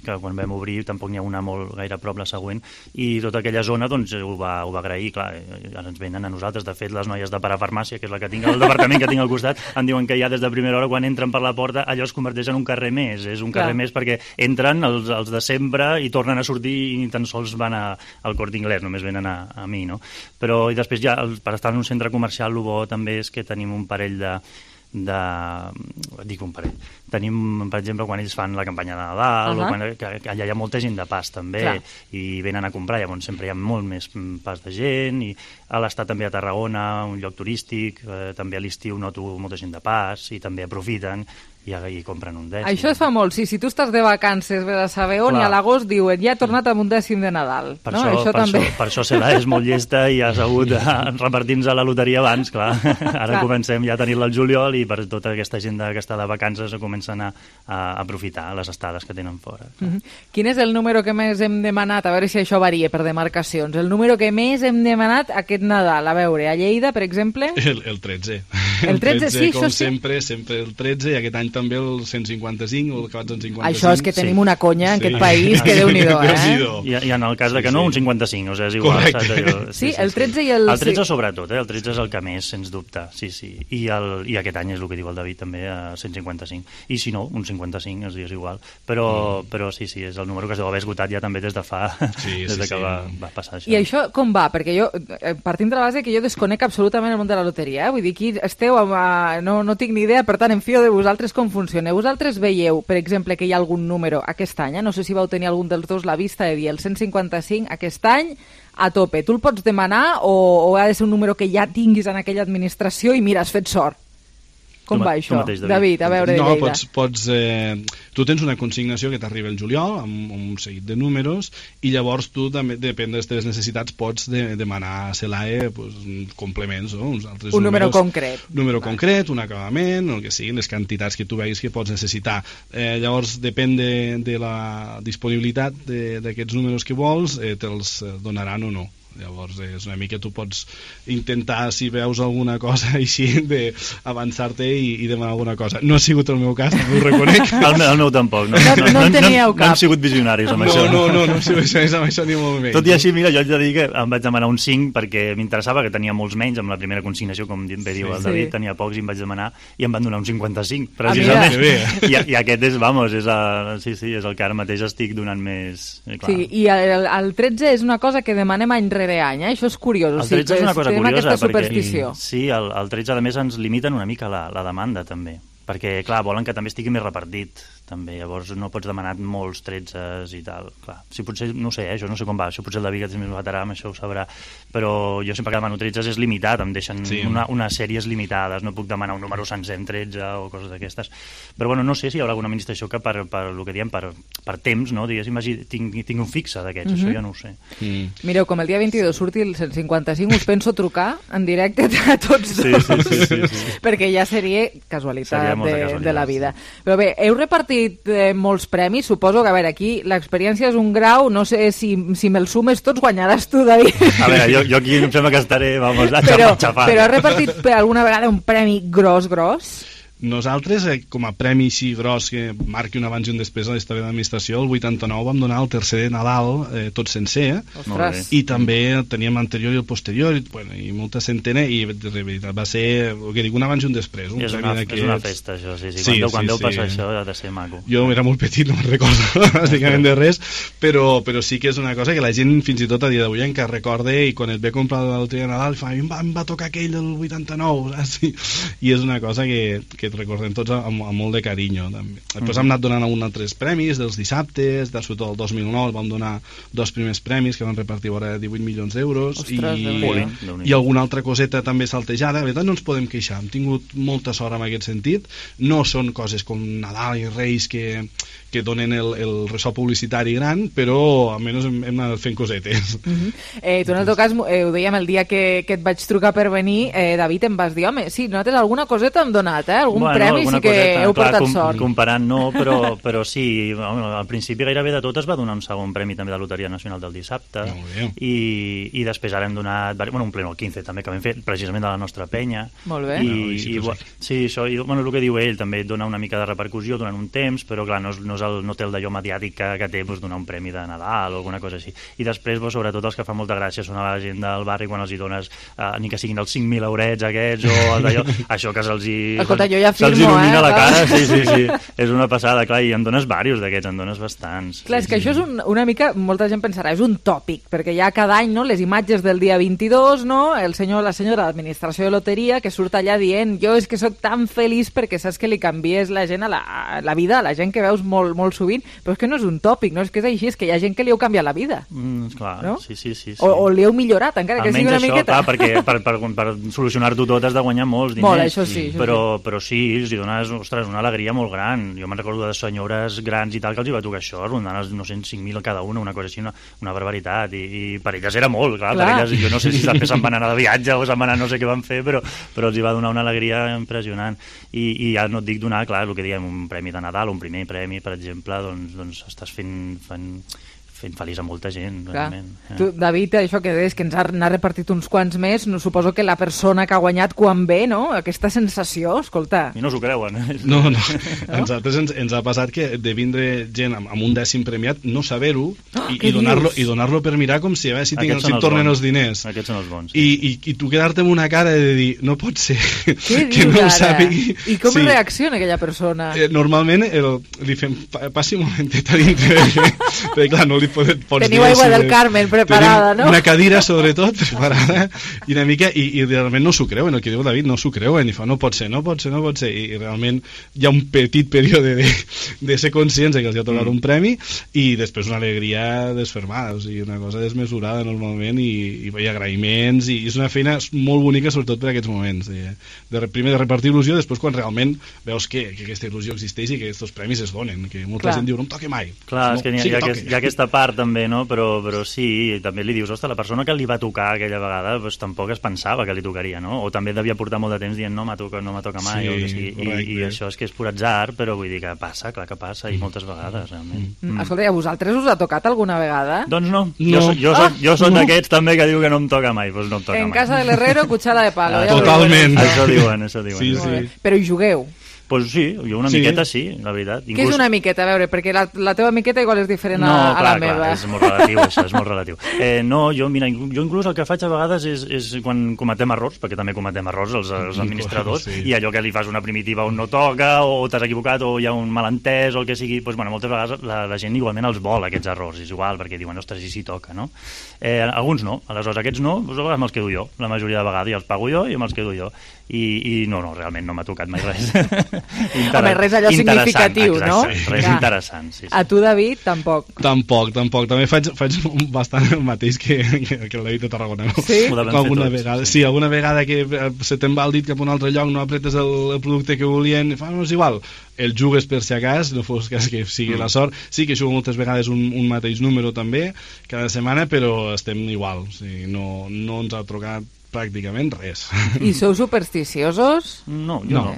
Speaker 14: quan vam obrir, tampoc n'hi ha una molt gaire a prop, la següent, i tota aquella zona, doncs, ho va agrair, clar, ara ens venen a nosaltres. De fet, les noies de parafarmàcia, que és la que tinc al departament que tinc al costat, em diuen que ja des de primera hora, quan entren per la porta, allò es converteix en un carrer més, és un carrer més perquè entren els de sempre i tornen a sortir i ni tan sols van al Corte Inglés, només venen a mi, no? Però i després ja, per estar en un centre comercial, el bo també és que tenim un parell dic un parell. Tenim, per exemple, quan ells fan la campanya de Nadal, que allà hi ha molta gent de pas també, i venen a comprar, llavors sempre hi ha molt més pas de gent, i a l'estat també a Tarragona, un lloc turístic, també a l'estiu noto molta gent de pas, i també aprofiten i compren un dècim.
Speaker 3: Això es fa molt, sí, si tu estàs de vacances, ve de saber on, i a l'agost diuen, ja he tornat amb un dècim de Nadal.
Speaker 14: Per això Cela és molt llesta i ha sabut repartir-nos a la loteria abans, clar. Ara comencem ja a tenir-la al juliol i per tota aquesta gent que està de vacances comencen a aprofitar les estades que tenen fora.
Speaker 3: Quin és el número que més hem demanat? A veure si això varia per demarcacions. El número que més hem demanat aquest Nadal, a veure, a Lleida, per exemple?
Speaker 15: El 13.
Speaker 3: El 13, sí,
Speaker 15: com sempre el 13, i aquest any també el 155 o el acabat en 55.
Speaker 3: Això és que tenim una conya en aquest país que Déu-n'hi-do,
Speaker 14: I en el cas de que no, un 55, o sigui, és igual.
Speaker 15: Correcte.
Speaker 3: Sí, el 13 i el...
Speaker 14: El 13 sobretot, el 13 és el que més, sens dubte, sí. I aquest any és el que diu el David també, a 155. I si no, un 55, és igual. Però sí, és el número que es deu haver esgotat ja també des de fa... des que va passar això.
Speaker 3: I això com va? Perquè jo, partint de la base que jo desconec absolutament el món de la loteria, vull dir, aquí esteu, no tinc ni idea, per tant, em fio de vosaltres com funciona. Vosaltres veieu, per exemple, que hi ha algun número aquest any, no sé si vau tenir algun dels dos la vista de dir el 155 aquest any a tope. Tu el pots demanar o ha de ser un número que ja tinguis en aquella administració i mira, has fet sort? Com va això? David, a veure, de Lleida.
Speaker 15: Tu tens una consignació que t'arriba el juliol amb un seguit de números i llavors tu també, depèn de les teves necessitats, pots demanar a CELAE complements, uns altres
Speaker 3: un número concret.
Speaker 15: Un número concret, un acabament, el que siguin, les quantitats que tu veus que pots necessitar. Llavors, depèn de la disponibilitat d'aquests números que vols, te'ls donaran o no. Llavors és una mica, tu pots intentar, si veus alguna cosa així, d'avançar-te i demanar alguna cosa. No ha sigut el meu cas, no ho reconec.
Speaker 14: El meu tampoc.
Speaker 3: No en teníeu cap.
Speaker 14: No hem sigut visionaris amb això.
Speaker 15: No hem sigut visionaris amb això ni molt menys.
Speaker 14: Tot i així, mira, jo haig de dir que em vaig demanar un 5 perquè m'interessava, que tenia molts menys amb la primera consignació, com bé diu el David, tenia pocs i em vaig demanar i em van donar un 55, precisament. I aquest és, és el que ara mateix estic donant més...
Speaker 3: Sí, i el 13 és una cosa que demanem any rere any, això és curiós.
Speaker 14: El 13 és una cosa curiosa,
Speaker 3: superstició.
Speaker 14: Sí, el 13 a més ens limiten una mica la demanda també, perquè clar, volen que també estigui més repartit també, llavors no pots demanar molts 13s i tal, clar, si potser, no sé, jo no sé com va, això potser el David que és més veterà amb això ho sabrà, però jo sempre que demano 13s és limitat, em deixen unes sèries limitades, no puc demanar un número sencer en 13 o coses d'aquestes, però bueno, no sé si hi haurà alguna administració que per el que diem, per temps, no, diguéssim, tinc un fixe d'aquests, això ja no ho sé.
Speaker 3: Mireu, com el dia 22 surti el 155, us penso trucar en directe a tots dos, perquè ja seria casualitat de la vida. Però bé, heu repartit molts premis, suposo que, a veure, aquí l'experiència és un grau, no sé si me'ls sumes tots guanyaràs tu, David.
Speaker 14: A veure, jo aquí em sembla que estaré, vamos, xafant.
Speaker 3: Però has repartit alguna vegada un premi gros?
Speaker 15: Nosaltres, com a premi així gros que marqui un abans i un després a la història d'administració, el 89 vam donar el tercer de Nadal tot sencer, i també teníem l'anterior i el posterior, i molta centena, i de veritat va ser, que dic, un abans i un després.
Speaker 14: És una festa, això, sí. Quan deu passar això ha de ser maco.
Speaker 15: Jo era molt petit, no me'n recordo bàsicament de res, però sí que és una cosa que la gent fins i tot a dia d'avui encara recorda, i quan et ve a comprar la loteria de Nadal, fa, em va tocar aquell del 89, saps? I és una cosa que et recordem tots amb molt de carinyo també. Després hem anat donant altres premis dels dissabtes, sobretot el 2009 vam donar 2 primers premis que van repartir vora 18 milions d'euros i alguna altra coseta també saltejada. La veritat no ens podem queixar, hem tingut molta sort en aquest sentit, no són coses com Nadal i Reis que donen el ressò publicitari gran, però almenys hem anat fent cosetes.
Speaker 3: Tu en el teu cas, ho dèiem el dia que et vaig trucar per venir, David, em vas dir, home, sí, nosaltres alguna coseta hem donat, algun premi sí que heu portat sort.
Speaker 14: Comparant no, però sí, al principi gairebé de tot es va donar un segon premi també de Loteria Nacional del dissabte, i després ara hem donat un pleno al 15 també, que vam fer precisament de la nostra penya.
Speaker 3: Molt bé.
Speaker 14: Sí, això, el que diu ell també dona una mica de repercussió durant un temps, però clar, no té el d'allò mediàtic que té donar un premi de Nadal o alguna cosa així. I després, sobretot, els que fan molta gràcia són a la gent del barri quan els hi dones ni que siguin els 5.000 eurets aquests o d'allò, això que se'ls il·lumina la cara, sí, és una passada, clar, i en dones diversos d'aquests, en dones bastants.
Speaker 3: Clar, és que això és una mica, molta gent pensarà, és un tòpic, perquè hi ha cada any, no, les imatges del dia 22, no, la senyora d'administració de loteria que surt allà dient, jo és que sóc tan feliç perquè saps que li canvies la gent a la vida, a la gent que veus molt sovint, però és que no és un tòpic, no és que és així, és que hi ha gent que li heu canviat la vida.
Speaker 14: Clar,
Speaker 3: no?
Speaker 14: Sí.
Speaker 3: O li heu millorat, encara que sigui una miqueta.
Speaker 14: Almenys això, clar, perquè per solucionar-ho tot has de guanyar molts diners.
Speaker 3: Molt, això sí.
Speaker 14: Però sí, els hi dones, ostres, una alegria molt gran. Jo me'n recordo de senyores grans i tal que els hi va tocar això, rondant els 5.000 cada una cosa així, una barbaritat, i per elles era molt, clar. Per elles, jo no sé si després se'n van anar de viatge o se'n van anar no sé què van fer, però els hi va donar una alegria impressionant. I ja no et dic donar, clar, el que diem, un premi de Nadal, un primer premi, per exemple, doncs estàs fent feliç a molta gent, realment.
Speaker 3: Tu, David, això que deies, que ens n'ha repartit uns quants més, no, suposo que la persona que ha guanyat quan ve, no? Aquesta sensació, escolta...
Speaker 14: I no s'ho creuen.
Speaker 15: No. A nosaltres ens ha passat que de vindre gent amb un 10è premiat, no saber-ho, i donar-lo per mirar com si tornen els diners.
Speaker 14: Aquests són els bons.
Speaker 15: I tu quedar-te amb una cara de dir, no pot ser que no ho sàpigui.
Speaker 3: I com reacciona aquella persona?
Speaker 15: Normalment li fem, passi un momentet a dintre, perquè clar, no li
Speaker 3: teniu aigua del Carmen preparada, no?
Speaker 15: Una cadira, sobretot, preparada, i una mica, i realment no s'ho creuen, el que diu David, no s'ho creuen, i fa, no pot ser, i realment hi ha un petit període de ser conscients que els ha tocat un premi, i després una alegria desfermada, o sigui, una cosa desmesurada normalment, i agraïments, i és una feina molt bonica, sobretot per aquests moments, primer de repartir il·lusió, després quan realment veus que aquesta il·lusió existeix i que aquests premis es donen, que molta gent diu, no em toque mai.
Speaker 14: Clar, és que hi ha aquesta part part també, no? Però sí, també li dius, ostres, la persona que li va tocar aquella vegada doncs, tampoc es pensava que li tocaria, no? O també devia portar molt de temps dient no me toca mai, o que sigui. I això és que és pur atzar, però vull dir que passa, clar que passa, i moltes vegades, realment.
Speaker 3: Escolta, a vosaltres us ha tocat alguna vegada?
Speaker 14: Doncs no. Jo soc d'aquests també que diu que no em toca mai, doncs no em toca mai.
Speaker 3: En casa de l'herrero, cuchara de palo.
Speaker 15: Totalment.
Speaker 14: Això diuen.
Speaker 15: Sí.
Speaker 3: Però hi jugueu?
Speaker 14: Pues sí, jo una miqueta sí, la veritat.
Speaker 3: Què és una miqueta? A veure, perquè la teva miqueta igual és diferent a la meva.
Speaker 14: No, és molt relatiu, això, és molt relatiu. No, jo inclús el que faig a vegades és quan cometem errors, perquè també cometem errors els administradors, i allò que li fas una primitiva on no toca, o t'has equivocat, o hi ha un malentès, o el que sigui, doncs, bueno, moltes vegades la gent igualment els vol, aquests errors, és igual, perquè diuen, ostres, i si toca, no? Alguns no, aleshores aquests no, doncs a vegades me'ls quedo jo, la majoria de vegades, i els pago jo i me'ls quedo jo. I no, realment no m'ha tocat mai res.
Speaker 3: Home, res allò significatiu, no?
Speaker 14: Res interessant, sí.
Speaker 3: A tu, David, tampoc.
Speaker 15: Tampoc. També faig bastant el mateix que el David de Tarragona. No?
Speaker 3: Sí?
Speaker 15: Alguna vegada. Sí, alguna vegada que se te'n va el dit cap a un altre lloc, no apretes el producte que volien, no és igual. El jugues per si acas, no fos cas que sigui la sort. Sí que jugo moltes vegades un mateix número també, cada setmana, però estem igual. O sigui, no ens ha trucat pràcticament res.
Speaker 3: I sou supersticiosos?
Speaker 14: No.
Speaker 15: La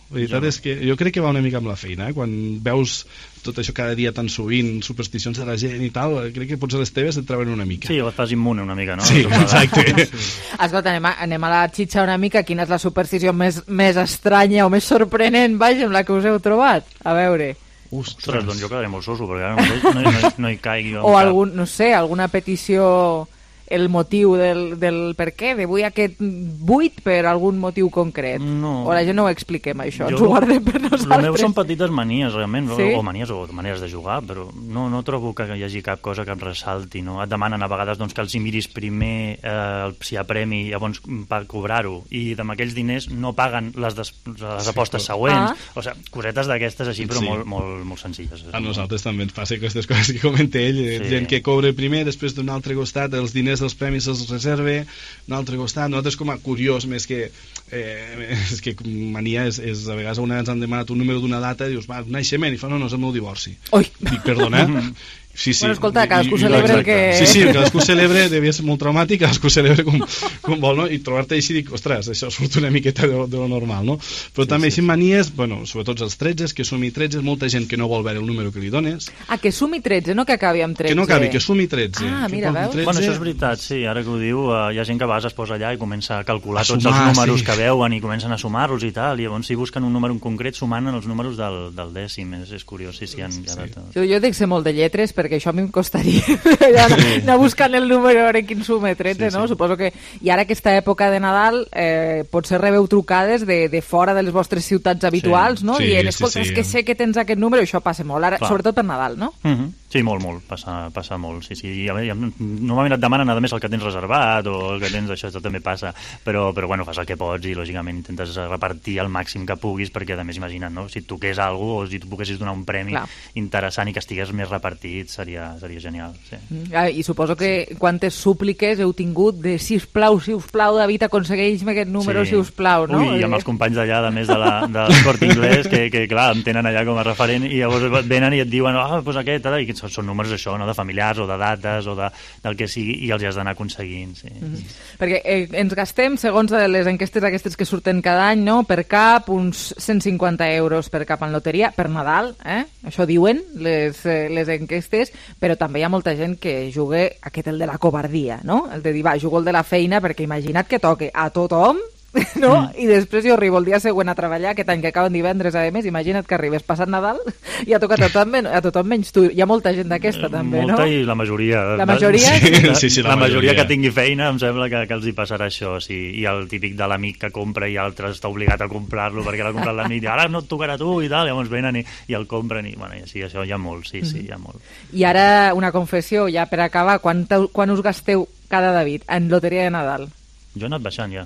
Speaker 15: veritat és que jo crec que va una mica amb la feina, quan veus tot això cada dia tan sovint, supersticions de la gent i tal, crec que potser les teves et treuen una mica.
Speaker 14: Sí, les fas immune una mica, no?
Speaker 15: Sí, exacte.
Speaker 3: Escolta, anem a la xitxa una mica. Quina és la superstició més estranya o més sorprenent, vaja, amb la que us heu trobat? A veure...
Speaker 14: Ostres, doncs jo quedaré molt soso, perquè ara no hi caigui.
Speaker 3: O alguna petició... el motiu del per què, de vull aquest buit per algun motiu concret.
Speaker 14: No.
Speaker 3: O la gent no ho expliquem, això, ens ho guardem per nosaltres.
Speaker 14: El meu són petites manies, realment,
Speaker 3: sí?
Speaker 14: o maneres de jugar, però no trobo que hi hagi cap cosa que em ressalti, no? Et demanen a vegades doncs, que els hi miris primer si hi ha premi, llavors per cobrar-ho, i amb aquells diners no paguen les apostes següents. O sigui, cosetes d'aquestes així, però molt senzilles.
Speaker 15: A nosaltres també ens passa aquestes coses que comenta ell, gent que cobra primer, després d'un altre costat els diners dels premis els reserve, un altre costat. Nosaltres, com a curiós, més que mania, és a vegades una ens han demanat un número d'una data i dius, va, un naixement, i fa, no, és el meu divorci.
Speaker 3: Oi!
Speaker 15: Dic, perdona? Sí.
Speaker 3: Bueno, escolta, cadascú celebra el que...
Speaker 15: Sí, cadascú celebra, devia ser molt traumàtic, cadascú celebra com vol, no? I trobar-te així, dic, ostres, això surt una miqueta de lo normal, no? Però també així manies, bueno, sobretot els 13, que sumi 13, molta gent que no vol veure el número que li dones.
Speaker 3: Que sumi 13, no que acabi amb 13.
Speaker 15: Que no acabi, que sumi 13.
Speaker 3: Mira, veus?
Speaker 14: Bueno, això és veritat, sí, ara que ho diu, hi ha gent que a vegades es posa allà i comença a calcular tots els números que veuen i comencen a sumar-los i tal, i llavors si busquen un número en concret sumant els números del dècim, és curiós, sí, hi ha de tot.
Speaker 3: Jo dic ser molt de lletres perquè això a mi em costaria anar buscant el número, a veure quin sume 13, no? Suposo que... I ara aquesta època de Nadal potser rebeu trucades de fora de les vostres ciutats habituals, no? Dient, escolta, és que sé que tens aquest número, això passa molt, ara, sobretot per Nadal, no?
Speaker 14: Sí, molt, passa molt, sí. Normalment et demanen a més el que tens reservat o el que tens, això també passa, però bueno, fas el que pots i lògicament intentes repartir el màxim que puguis, perquè a més imagina't, no? Si et toqués alguna cosa o si tu poguessis donar un premi interessant i que estigués més repartit, seria genial, sí.
Speaker 3: I suposo que quantes súpliques heu tingut de sisplau, David, aconsegueix-me aquest número, sisplau, no?
Speaker 14: Ui, i amb els companys d'allà, a més del Corte Inglés, que clar, em tenen allà com a referent i llavors venen i et diuen, doncs aquest, i són números això, no? De familiars o de dates o del que sigui, i els has d'anar aconseguint, sí.
Speaker 3: Perquè ens gastem, segons les enquestes aquestes que surten cada any, no? Per cap, uns 150 euros per cap en loteria, per Nadal, això diuen les enquestes, però també hi ha molta gent que juga el de la covardia, no? El de dir, va, jugo el de la feina, perquè imagina't que toque a tothom, no? I després jo arribo el dia següent a treballar, aquest any que acaben divendres, a més, imagina't que arribes passat Nadal i ha tocat a tothom menys tu. Hi ha molta gent d'aquesta, també, no?
Speaker 14: Molta, i la majoria.
Speaker 3: La majoria?
Speaker 14: Sí, la majoria que tingui feina, em sembla que els hi passarà això, sí. I el típic de l'amic que compra i altres està obligat a comprar-lo perquè l'ha comprat l'amic i ara no et tocarà tu i tal, llavors venen i el compren i, bueno, sí, això hi ha molt, sí, hi ha molt.
Speaker 3: I ara una confessió, ja per acabar, quan us gasteu cada David en loteria de Nadal?
Speaker 14: Jo he anat baixant ja.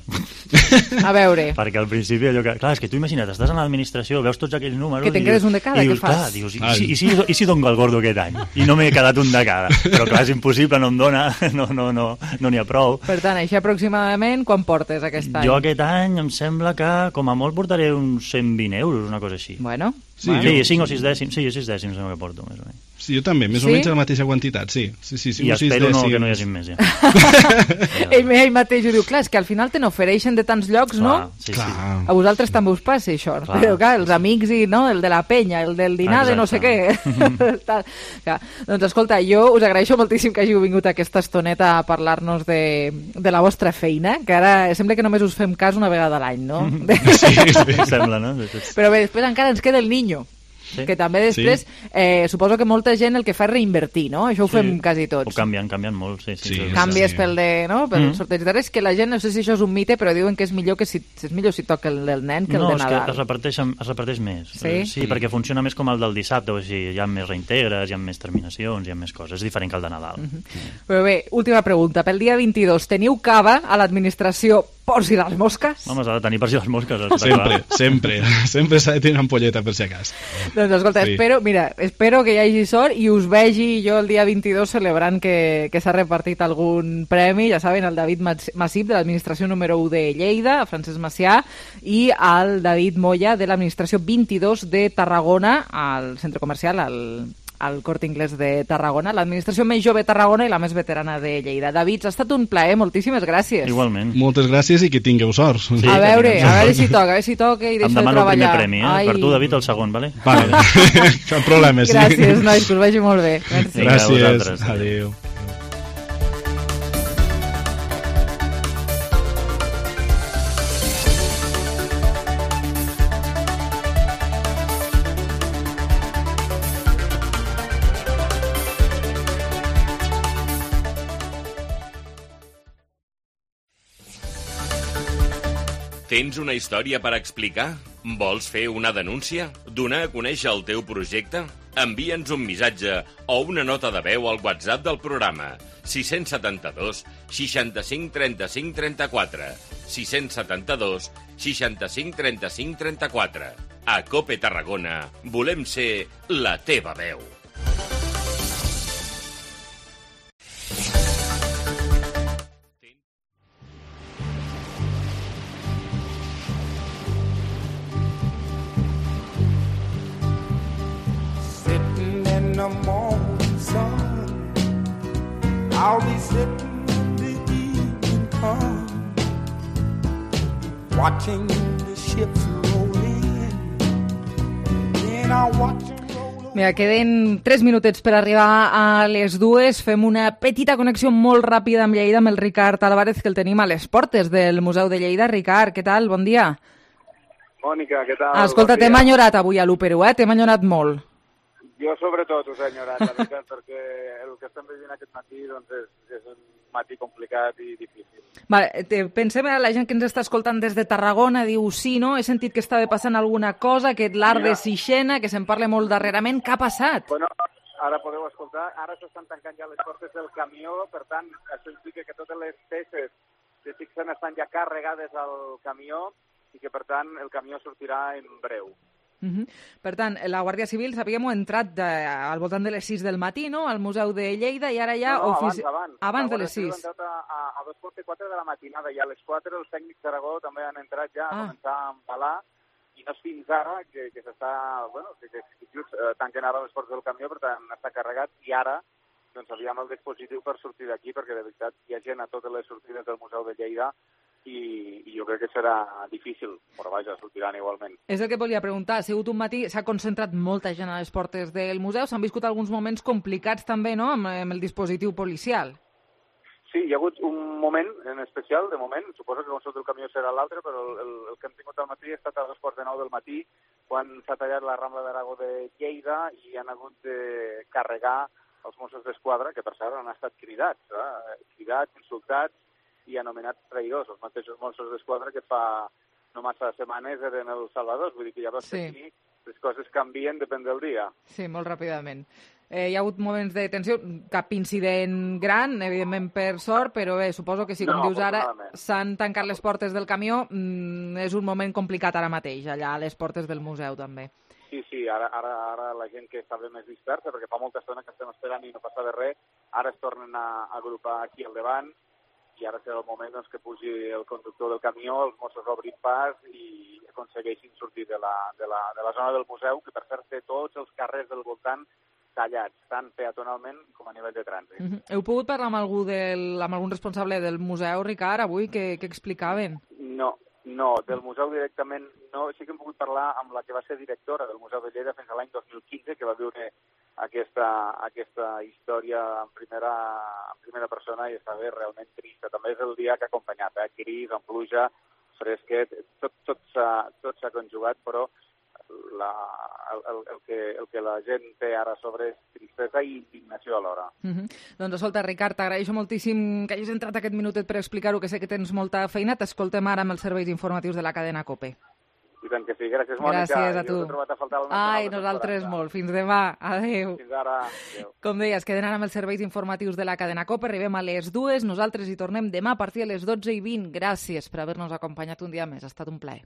Speaker 3: A veure.
Speaker 14: Perquè al principi allò que... Clar, és que tu imagina't, estàs a l'administració, veus tots aquells números...
Speaker 3: Que te'n quedes un de cada, què fas?
Speaker 14: Clar, dius, i si dono el gordo aquest any? I no m'he quedat un de cada. Però clar, és impossible, no em dona, no n'hi ha prou.
Speaker 3: Per tant, així aproximadament, quan portes aquest any?
Speaker 14: Jo aquest any em sembla que com a molt portaré uns 120 euros, una cosa així.
Speaker 3: Bueno,
Speaker 15: Sí,
Speaker 14: 5 o 6 dècims, sí, 6 dècims no que porto, més o menys.
Speaker 15: Sí, jo també, més o menys la mateixa quantitat, sí.
Speaker 14: I espero que no hi hagi més, ja.
Speaker 3: Ell mateix ho diu, clar, és que al final te n'ofereixen de tants llocs, no?
Speaker 14: Sí.
Speaker 3: A vosaltres també us passa això, però clar, els amics i el de la penya, el del dinar de no sé què. Doncs escolta, jo us agraeixo moltíssim que hàgiu vingut aquesta estoneta a parlar-nos de la vostra feina, que ara sembla que només us fem cas una vegada a l'any, no?
Speaker 14: Sí, sembla, no?
Speaker 3: Però bé, després encara ens queda el niño. Sí. Que també després suposo que molta gent el que fa és reinvertir, no? Això ho fem quasi tots.
Speaker 14: Ho canvien molt, sí.
Speaker 3: Canvies pel sorteig de res, que la gent, no sé si això és un mite, però diuen que és millor si toca el del nen que el de Nadal.
Speaker 14: No, és que es reparteix més. Sí, perquè funciona més com el del dissabte, o sigui, hi ha més reintegres, hi ha més terminacions, hi ha més coses. És diferent que el de Nadal.
Speaker 3: Però bé, última pregunta. Pel dia 22 teniu cava a l'administració per si les mosques?
Speaker 14: Home, s'ha de tenir per si les mosques.
Speaker 15: Sempre s'ha de tenir una ampolleta per si acas.
Speaker 3: Doncs escolta, espero que hi hagi sort i us vegi jo el dia 22 celebrant que s'ha repartit algun premi, ja saben, el David Massip de l'administració número 1 de Lleida, Francesc Macià, i el David Moya de l'administració 22 de Tarragona, al centre comercial, al Corte Inglés de Tarragona, l'administració més jove de Tarragona i la més veterana de Lleida. David, ha estat un plaer, moltíssimes gràcies.
Speaker 14: Igualment.
Speaker 15: Moltes gràcies i que tingueu sort.
Speaker 3: Sí, a veure si toca, i deixo de treballar.
Speaker 14: Em demano el primer premi, Per tu, David, el segon, vale?
Speaker 15: Vale, cap problema, sí.
Speaker 3: Gràcies, nois, que us vagi molt bé.
Speaker 15: Merci. Gràcies, adéu.
Speaker 4: Tens una història per explicar? Vols fer una denúncia? Donar a conèixer el teu projecte? Envia'ns un missatge o una nota de veu al WhatsApp del programa 672 65 35 34 672 65 35 34. A COPE Tarragona volem ser la teva veu.
Speaker 2: The morning sun, I'll be sitting when the evening comes, watching the ships roll in, then I'll watch them roll.
Speaker 3: Mira, queden 3 minutets per arribar a les 2. Fem una petita connexió molt ràpida amb Lleida, amb el Ricard Álvarez, que el tenim a les portes del Museu de Lleida. Ricard, què tal? Bon dia.
Speaker 35: Mònica, què tal?
Speaker 3: Escolta,
Speaker 35: bon
Speaker 3: t'hem enyorat avui a l'Úpero, T'hem enyorat molt.
Speaker 35: Jo sobretot us he enyorat, la veritat, perquè el que estem vivint aquest matí doncs és un matí complicat i difícil.
Speaker 3: Vale, pensem a la gent que ens està escoltant des de Tarragona, diu, sí, no? He sentit que estava passant alguna cosa, que l'art de Sixena, que se'n parla molt darrerament. Què ha passat?
Speaker 35: Bueno, ara podeu escoltar, ara s'estan tancant ja les portes del camió, per tant, això implica que totes les peces de Sixena estan ja carregades al camió i que, per tant, el camió sortirà en breu.
Speaker 3: Per tant, la Guàrdia Civil, sabíem, ha entrat al voltant de les 6 del matí, no?, al Museu de Lleida, i ara ja... Abans de les 6.
Speaker 35: La Guàrdia Civil ha entrat a 2:04 de la matinada, i a les 4 els tècnics d'Aragó també han entrat ja a començar a empalar, i no és fins ara que s'està... Bueno, que just tanquen ara les portes del camió, per tant, està carregat, i ara doncs aviam el dispositiu per sortir d'aquí, perquè de veritat hi ha gent a totes les sortides del Museu de Lleida, i jo crec que serà difícil, però vaja, sortiran igualment.
Speaker 3: És el que volia preguntar, ha sigut un matí, s'ha concentrat molta gent a les portes del museu, s'han viscut alguns moments complicats també, no?, amb el dispositiu policial.
Speaker 35: Sí, hi ha hagut un moment en especial, de moment, suposo que com sota el camió serà l'altre, però el que hem tingut al matí ha estat a 2:45 del matí, quan s'ha tallat la Rambla d'Aragó de Lleida i han hagut de carregar els Mossos d'Esquadra, que per cert han estat cridats, insultats, i anomenats traïdors, els mateixos Mossos d'Esquadra que fa no massa setmanes eren els salvadors, vull dir que ja veus que aquí les coses canvien, depèn del dia.
Speaker 3: Sí, molt ràpidament. Hi ha hagut moments de tensió, cap incident gran, evidentment per sort, però bé, suposo que si, com dius ara, s'han tancat les portes del camió, és un moment complicat ara mateix, allà a les portes del museu també.
Speaker 35: Sí, ara la gent que estava més dispersa, perquè fa molta estona que estem esperant i no passa de res, ara es tornen a agrupar aquí al davant, i ara serà el moment doncs, que pugi el conductor del camió, els Mossos obrin pas i aconsegueixin sortir de la zona del museu, que per cert té tots els carrers del voltant tallats, tant peatonalment com a nivell de trànsit.
Speaker 3: Heu pogut parlar amb algun responsable del museu, Ricard, avui? Què explicaven?
Speaker 35: No, del museu directament no. Sí que hem pogut parlar amb la que va ser directora del Museu de Lleida fins a l'any 2015, que va viure aquesta història en primera persona i estava realment trista. També és el dia que ha acompanyat, gris, amb pluja, fresquet, tot s'ha conjugat, però el que la gent té ara sobre és tristesa i indignació alhora.
Speaker 3: Doncs escolta, Ricard, t'agraeixo moltíssim que hagis entrat aquest minutet per explicar-ho, que sé que tens molta feina. T'escoltem ara amb els serveis informatius de la cadena COPE.
Speaker 35: I tant que sí. Gràcies, Mònica.
Speaker 3: Gràcies a tu.
Speaker 35: Jo t'he trobat a faltar
Speaker 3: nosaltres molt. Fins demà. Adéu.
Speaker 35: Fins ara. Adéu.
Speaker 3: Com deies, queden ara amb els serveis informatius de la cadena COPE. Arribem a les 2. Nosaltres hi tornem demà a partir de les 12:20. Gràcies per haver-nos acompanyat un dia més. Ha estat un plaer.